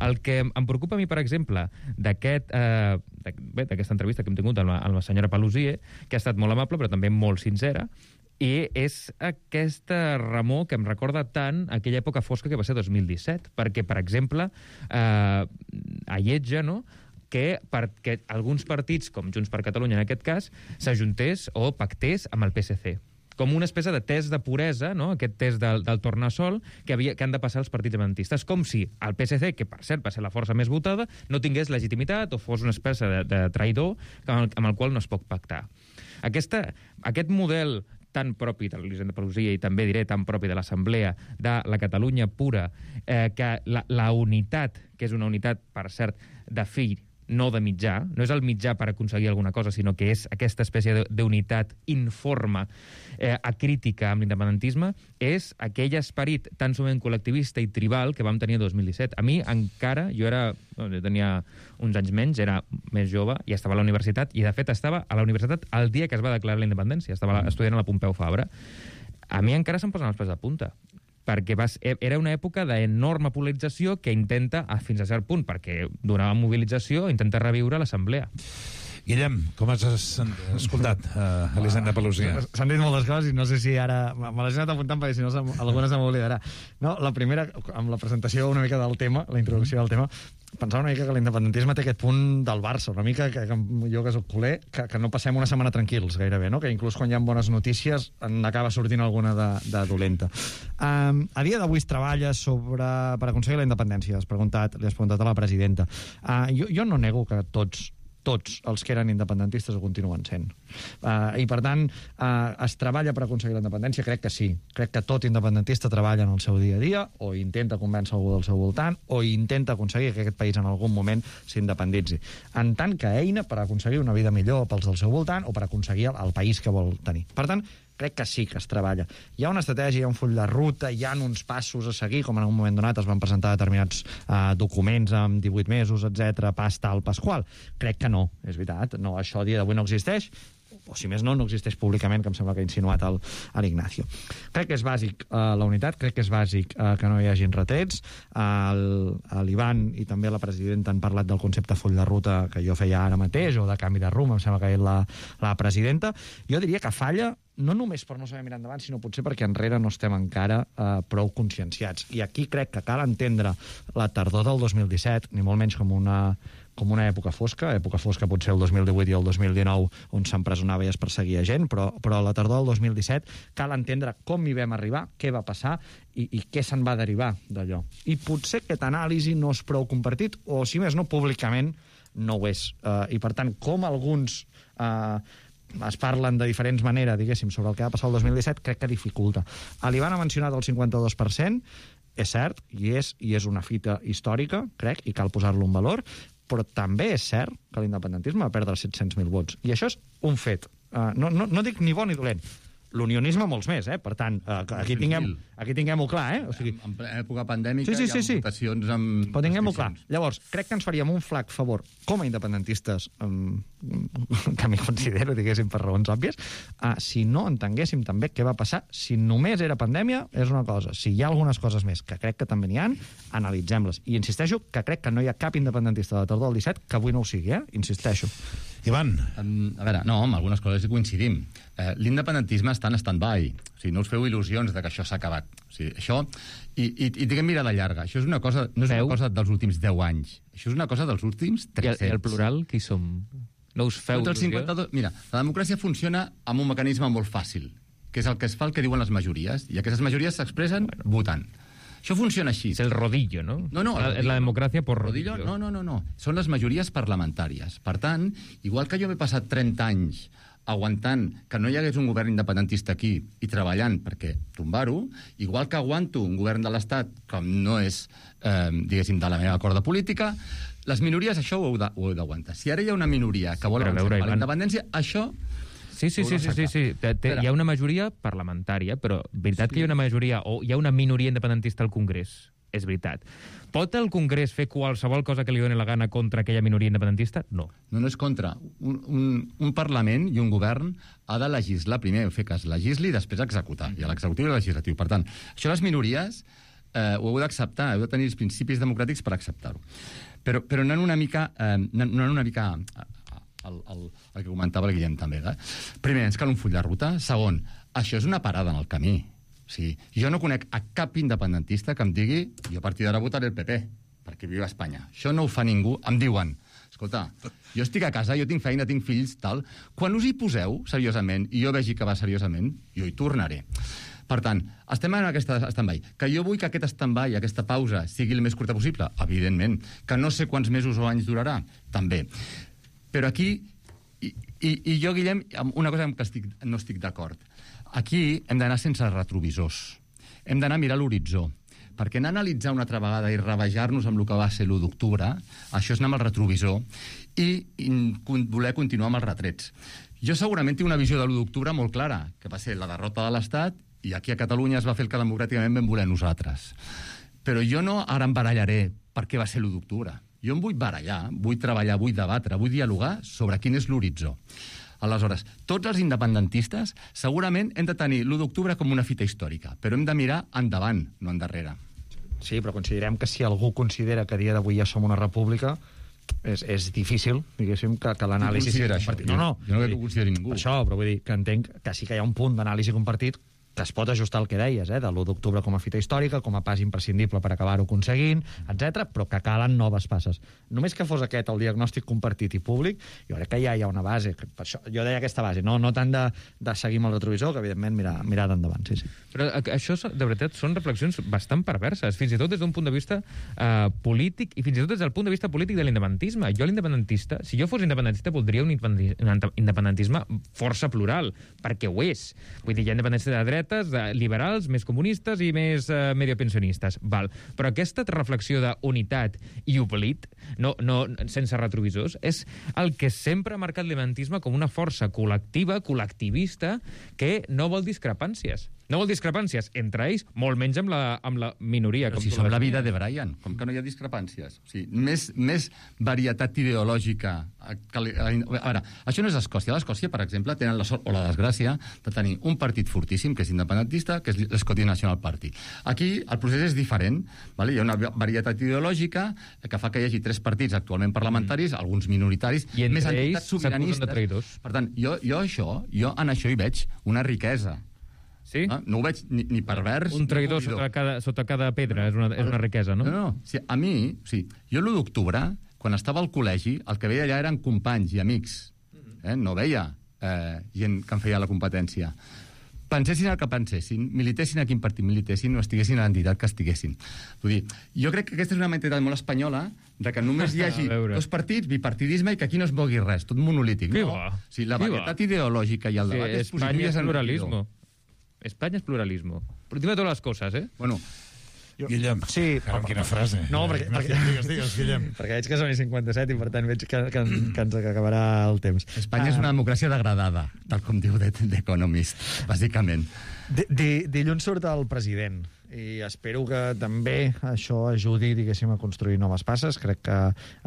El que em preocupa a mi, per exemple, d'aquest eh, d'aquesta entrevista que hem tingut amb la, amb la senyora Paluzie, que ha estat molt amable però també molt sincera, i és aquesta remor que em recorda tant aquella època fosca que va ser dos mil disset, perquè, per exemple, eh, alletja, no?, que perquè alguns partits, com Junts per Catalunya en aquest cas, s'ajuntés o pactés amb el P S C, com una espècie de test de puresa, no?, aquest test del, del tornassol que, havia, que han de passar els partits independentistes, com si el P S C, que per cert va ser la força més votada, no tingués legitimitat o fos una espècie de, de traïdor amb el, amb el qual no es pot pactar. Aquesta, aquest model tan propi de l'Elisenda Paluzie i també diré tan propi de l'Assemblea de la Catalunya pura, eh, que la, la unitat, que és una unitat, per cert, de fill, no de mitjà, no és el mitjà per aconseguir alguna cosa, sinó que és aquesta espècie d'unitat informe, eh, acrítica amb l'independentisme, és aquell esperit tan sovint col·lectivista i tribal que vam tenir el dos mil disset. A mi encara, jo era, jo tenia uns anys menys, era més jove, i estava a la universitat, i de fet estava a la universitat el dia que es va declarar la independència, estava estudiant a la Pompeu Fabra. A mi encara se'm posen els pèls de punta, perquè vas, era una època d'enorme polarització que intenta, fins a cert punt, perquè donava mobilització, intenta reviure l'Assemblea. Guillem, com has escoltat uh, Elisenda Paluzie? S'han dit moltes coses i no sé si ara... Me les he anat apuntant perquè si no alguna se m'oblidarà. No, la primera, amb la presentació una mica del tema, la introducció del tema, pensava una mica que l'independentisme té aquest punt del Barça, una mica que, que jo que soc culer, que, que no passem una setmana tranquils gairebé, no? Que inclús quan hi ha bones notícies n'acaba sortint alguna de, de dolenta. Um, a dia d'avui es treballa sobre, per aconseguir la independència, has preguntat, li has preguntat a la presidenta. Uh, jo, jo no nego que tots tots els que eren independentistes ho continuen sent. Uh, I, per tant, uh, es treballa per aconseguir la independència? Crec que sí. Crec que tot independentista treballa en el seu dia a dia, o intenta convèncer algú del seu voltant, o intenta aconseguir que aquest país en algun moment s'independitzi. En tant que eina per aconseguir una vida millor pels del seu voltant o per aconseguir el, el país que vol tenir. Per tant, crec que sí que es treballa. Hi ha una estratègia, hi ha un full de ruta, hi ha uns passos a seguir, com en un moment donat es van presentar determinats uh, documents amb divuit mesos, etcètera, pas tal, pas qual. Crec que no, és veritat. No, això a dia d'avui no existeix, o si més no, no existeix públicament, que em sembla que ha insinuat l'Ignacio. Crec que és bàsic uh, la unitat, crec que és bàsic uh, que no hi hagin retrets. Uh, L'Ivan i també la presidenta han parlat del concepte full de ruta que jo feia ara mateix, o de canvi de rumb, em sembla que és la, la presidenta. Jo diria que falla no només per no saber mirar endavant, sinó potser perquè enrere no estem encara eh, prou conscienciats. I aquí crec que cal entendre la tardor del dos mil disset, ni molt menys com una, com una època fosca, època fosca potser el dos mil divuit i el dos mil dinou, on s'empresonava i es perseguia gent, però, però la tardor del dos mil disset cal entendre com hi vam arribar, què va passar i, i què se'n va derivar d'allò. I potser aquest anàlisi no és prou compartit, o si més no, públicament no ho és. Uh, I per tant, com alguns... Uh, es parlen de diferents maneres, diguéssim, sobre el que va passar el dos mil disset, crec que dificulta. L'Ivan ha mencionat el cinquanta-dos per cent, és cert, i és, i és una fita històrica, crec, i cal posar-lo en valor, però també és cert que l'independentisme va perdre set-cents mil vots. I això és un fet. Uh, no, no, no dic ni bo ni dolent. L'unionisme molts més, eh? Per tant, eh, aquí tinguem, aquí tinguem-ho clar, eh? O sigui... En època pandèmica sí, sí, sí, sí. hi ha votacions amb... Però tinguem-ho clar. Llavors, crec que ens faríem un flac favor, com a independentistes, um, que m'hi considero, diguéssim, per raons òbvies, uh, si no entenguéssim també què va passar. Si només era pandèmia, és una cosa. Si hi ha algunes coses més, que crec que també n'hi ha, analitzem-les. I insisteixo que crec que no hi ha cap independentista de la tardor del disset que avui no ho sigui, eh? Insisteixo. Ivan. Um, a veure, no, amb algunes coses hi coincidim. Eh, L'independentisme està en stand-by. O sigui, no us feu il·lusions de que això s'ha acabat. O sigui, això... I, i, i diguem mirada llarga. Això és una cosa, no és una cosa dels últims deu anys. Això és una cosa dels últims tres-cents. I el, el plural, qui som? No us feu il·lusió? cinquanta-dos... Mira, la democràcia funciona amb un mecanisme molt fàcil, que és el que es fa el que diuen les majories, i aquestes majories s'expressen bueno. votant. Això funciona així. És el rodillo, no? No, no. La, rodillo, la democràcia por rodillo. rodillo. No, no, no, no. Són les majories parlamentàries. Per tant, igual que jo m'he passat trenta anys aguantant que no hi hagués un govern independentista aquí i treballant perquè tombar-ho, igual que aguanto un govern de l'Estat, com no és, eh, diguéssim, de la meva corda política, les minories això ho heu de- ho heu d'aguantar. Si ara hi ha una minoria que vol Però a avançar veure, per la Ivan- independència, això... Sí, sí, sí, sí, sí, sí. Té, té, hi ha una majoria parlamentària, però veritat sí. que hi ha una majoria o hi ha una minoria independentista al Congrés? És veritat. Pot el Congrés fer qualsevol cosa que li doni la gana contra aquella minoria independentista? No. No, no és contra. Un, un, un Parlament i un govern ha de legislar primer, fer cas legisli i després executar. Hi ha l'executiu i el legislatiu. Per tant, això les minories eh, ho heu d'acceptar, heu de tenir els principis democràtics per acceptar-ho. Però, però anant una mica... Eh, anant una mica el, el, el que comentava el Guillem també. Eh? Primer, ens cal un full de ruta. Segon, això és una parada en el camí. O sigui, jo no conec a cap independentista que em digui jo a partir d'ara votaré el P P, perquè viu a Espanya. Això no ho fa ningú. Em diuen, escolta, jo estic a casa, jo tinc feina, tinc fills, tal. Quan us hi poseu seriosament i jo vegi que va seriosament, jo hi tornaré. Per tant, estem en aquesta stand-by. Que jo vull que aquest stand-by, aquesta pausa, sigui el més curta possible? Evidentment. Que no sé quants mesos o anys durarà? També. Però aquí, i, i, i jo, Guillem, una cosa amb què estic, no estic d'acord. Aquí hem d'anar sense retrovisors. Hem d'anar a mirar l'horitzó. Perquè anar a analitzar una altra vegada i revejar-nos amb el que va ser l'u d'octubre, això és anar amb el retrovisor i, i voler continuar amb els retrets. Jo segurament tinc una visió de l'u d'octubre molt clara, que va ser la derrota de l'Estat i aquí a Catalunya es va fer el que democràticament vam voler nosaltres. Però jo no ara em barallaré per què va ser l'u d'octubre. Jo em vull barallar, vull treballar, vull debatre, vull dialogar sobre quin és l'horitzó. Aleshores, tots els independentistes segurament hem de tenir l'u d'octubre com una fita històrica, però hem de mirar endavant, no endarrere. Sí, però considerem que si algú considera que a dia d'avui ja som una república, és, és difícil, diguéssim, que, que l'anàlisi... Qui considera això? No, no. Jo no crec que ho consideri ningú. Per això, però vull dir que entenc que sí que hi ha un punt d'anàlisi compartit que es pot ajustar al que deies, eh, de l'u d'octubre com a fita històrica, com a pas imprescindible per acabar-ho aconseguint, etcètera, però que calen noves passes. Només que fos aquest el diagnòstic compartit i públic, jo crec que ja hi ha una base. Per això, jo deia aquesta base, no, no tant de, de seguir amb el retrovisor, que evidentment mirar, mirar d'endavant, sí, sí. Però això, de veritat, són reflexions bastant perverses, fins i tot des d'un punt de vista eh, polític i fins i tot des del punt de vista polític de l'independentisme. Jo l'independentista, si jo fos independentista, voldria un independentisme força plural, perquè ho és. Vull dir, hi ha independentistes de dretes, de liberals, més comunistes i més eh, mediopensionistes. Val. Però aquesta reflexió d'unitat i oblit, no, no, sense retrovisors, és el que sempre ha marcat l'independentisme com una força col·lectiva, col·lectivista, que no vol discrepàncies. No vol discrepàncies entre ells, molt menys amb la, amb la minoria. Però com si tu som la la vida de Brian, com que no hi ha discrepàncies. O sigui, més, més varietat ideològica... Que, a veure, això no és Escòcia. A l'Escòcia, per exemple, tenen la sort o la desgràcia de tenir un partit fortíssim, que és independentista, que és l'Scottish National Party. Aquí el procés és diferent. Vale? Hi ha una varietat ideològica que fa que hi hagi tres partits actualment parlamentaris, mm. alguns minoritaris, I més entre entitats ells s'acusen de traïdors. Per tant, jo, jo, això, jo en això hi veig una riquesa. Sí? No, no ho veig ni, ni pervers... Un traïdor sota cada, sota cada pedra és una, és una riquesa, no? No, no. O sigui, a mi, o sigui, jo l'u d'octubre, quan estava al col·legi, el que veia allà eren companys i amics. Eh? No veia eh, gent que em feia la competència. Pensessin el que pensessin, militessin a quin partit militessin o estiguessin a l'entitat que estiguessin. Vull dir, jo crec que aquesta és una mentalitat molt espanyola de que només hi hagi dos partits, bipartidisme, i que aquí no es mogui res, tot monolític. Qui no? va? O sigui, la Qui varietat ideològica i el Sí, debat és España positiu i es és pluralismo. España es pluralismo. Por encima de todas las cosas, ¿eh? Bueno, Guillem, sí, caram, quina frase. No, perquè, perquè, Digues, digues, Guillem. perquè veig que són i cinquanta-set i per tant veig que, que, que ens acabarà el temps. Espanya és una democràcia degradada, tal com diu The Economist, bàsicament. D -d Dilluns surt el president i espero que també això ajudi, diguéssim, a construir noves passes. Crec que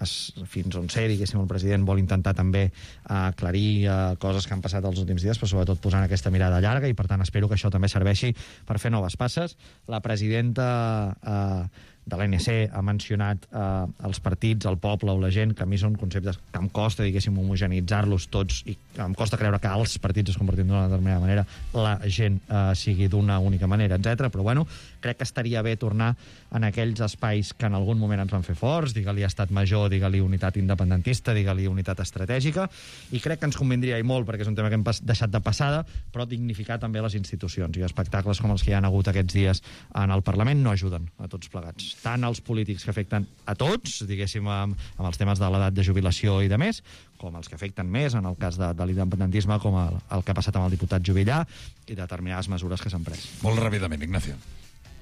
es, fins on sé, diguéssim, el president vol intentar també aclarir uh, coses que han passat els últims dies, però sobretot posant aquesta mirada llarga, i per tant espero que això també serveixi per fer noves passes. La presidenta uh, de l'A N C ha mencionat eh, els partits, el poble o la gent, que a mi són conceptes que em costa, diguéssim, homogenitzar-los tots, i em costa creure que els partits es comportin d'una determinada manera, la gent eh, sigui d'una única manera, etcètera. Però bueno, crec que estaria bé tornar en aquells espais que en algun moment ens van fer forts, digue-li estat major, digue-li unitat independentista, digue-li unitat estratègica, i crec que ens convindria i molt, perquè és un tema que hem deixat de passada, però dignificar també les institucions, i espectacles com els que hi ha hagut aquests dies en el Parlament no ajuden a tots plegats. Tant els polítics que afecten a tots, diguéssim, amb, amb els temes de l'edat de jubilació i de més, com els que afecten més, en el cas de, de l'independentisme, com el, el que ha passat amb el diputat Juvillà, i determinades mesures que s'han pres. Molt ràpidament, Ignacio.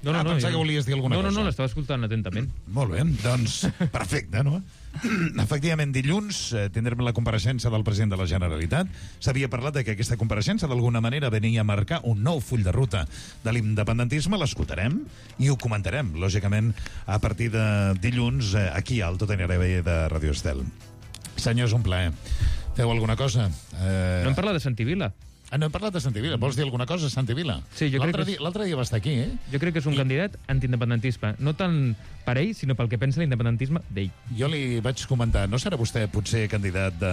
No, no, ah, no, pensava jo... que volies dir alguna no, cosa. No, no, l'estava escoltant atentament. Molt bé, doncs perfecte, no? Efectivament, dilluns eh, tindrem la compareixença del president de la Generalitat. S'havia parlat de que aquesta compareixença d'alguna manera venia a marcar un nou full de ruta de l'independentisme. L'escoltarem i ho comentarem, lògicament, a partir de dilluns eh, aquí al Tot en R B de Radio Estel. Senyors, un plaer. Feu alguna cosa? Eh... No hem parlat de Santi Vila. Ah, no hem parlat de Santi Vila. Vols dir alguna cosa, Santi Vila? Sí, jo crec que... Dia, l'altre dia va estar aquí, eh? Jo crec que és un I... candidat antiindependentisme. No tant per ell, sinó pel que pensa l'independentisme d'ell. Jo li vaig comentar, no serà vostè potser candidat de,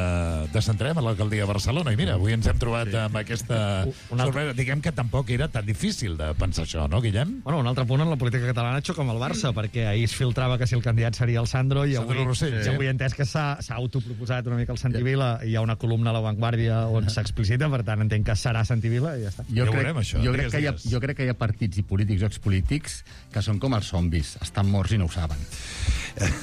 de Centrem a l'alcaldia de Barcelona? I mira, avui ens hem trobat sí. amb aquesta altre... sorpresa. Diguem que tampoc era tan difícil de pensar això, no, Guillem? Bueno, un altre punt en la política catalana xoca amb el Barça, mm. perquè ahir es filtrava que si el candidat seria el Sandro, i Sandro avui, Rossell, sí. sí. avui he entès que s'ha autoproposat una mica el Santi Vila, i hi ha una columna a La Vanguardia on s'explicita, per tant entenc que serà Santi Vila i ja està. Jo, ja crec, veurem, això, jo, crec que hi ha, jo crec que hi ha partits i polítics o expolítics que són com els zombis, estan morts i no ho saben.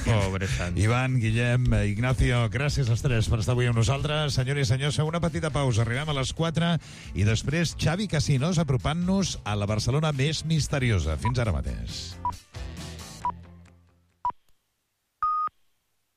Pobre Sant. Ivan, Guillem, Ignacio, gràcies als tres per estar avui amb nosaltres. Senyores i senyors, feu una petita pausa. Arribem a les quatre i després Xavi Casinos apropant-nos a la Barcelona més misteriosa. Fins ara mateix.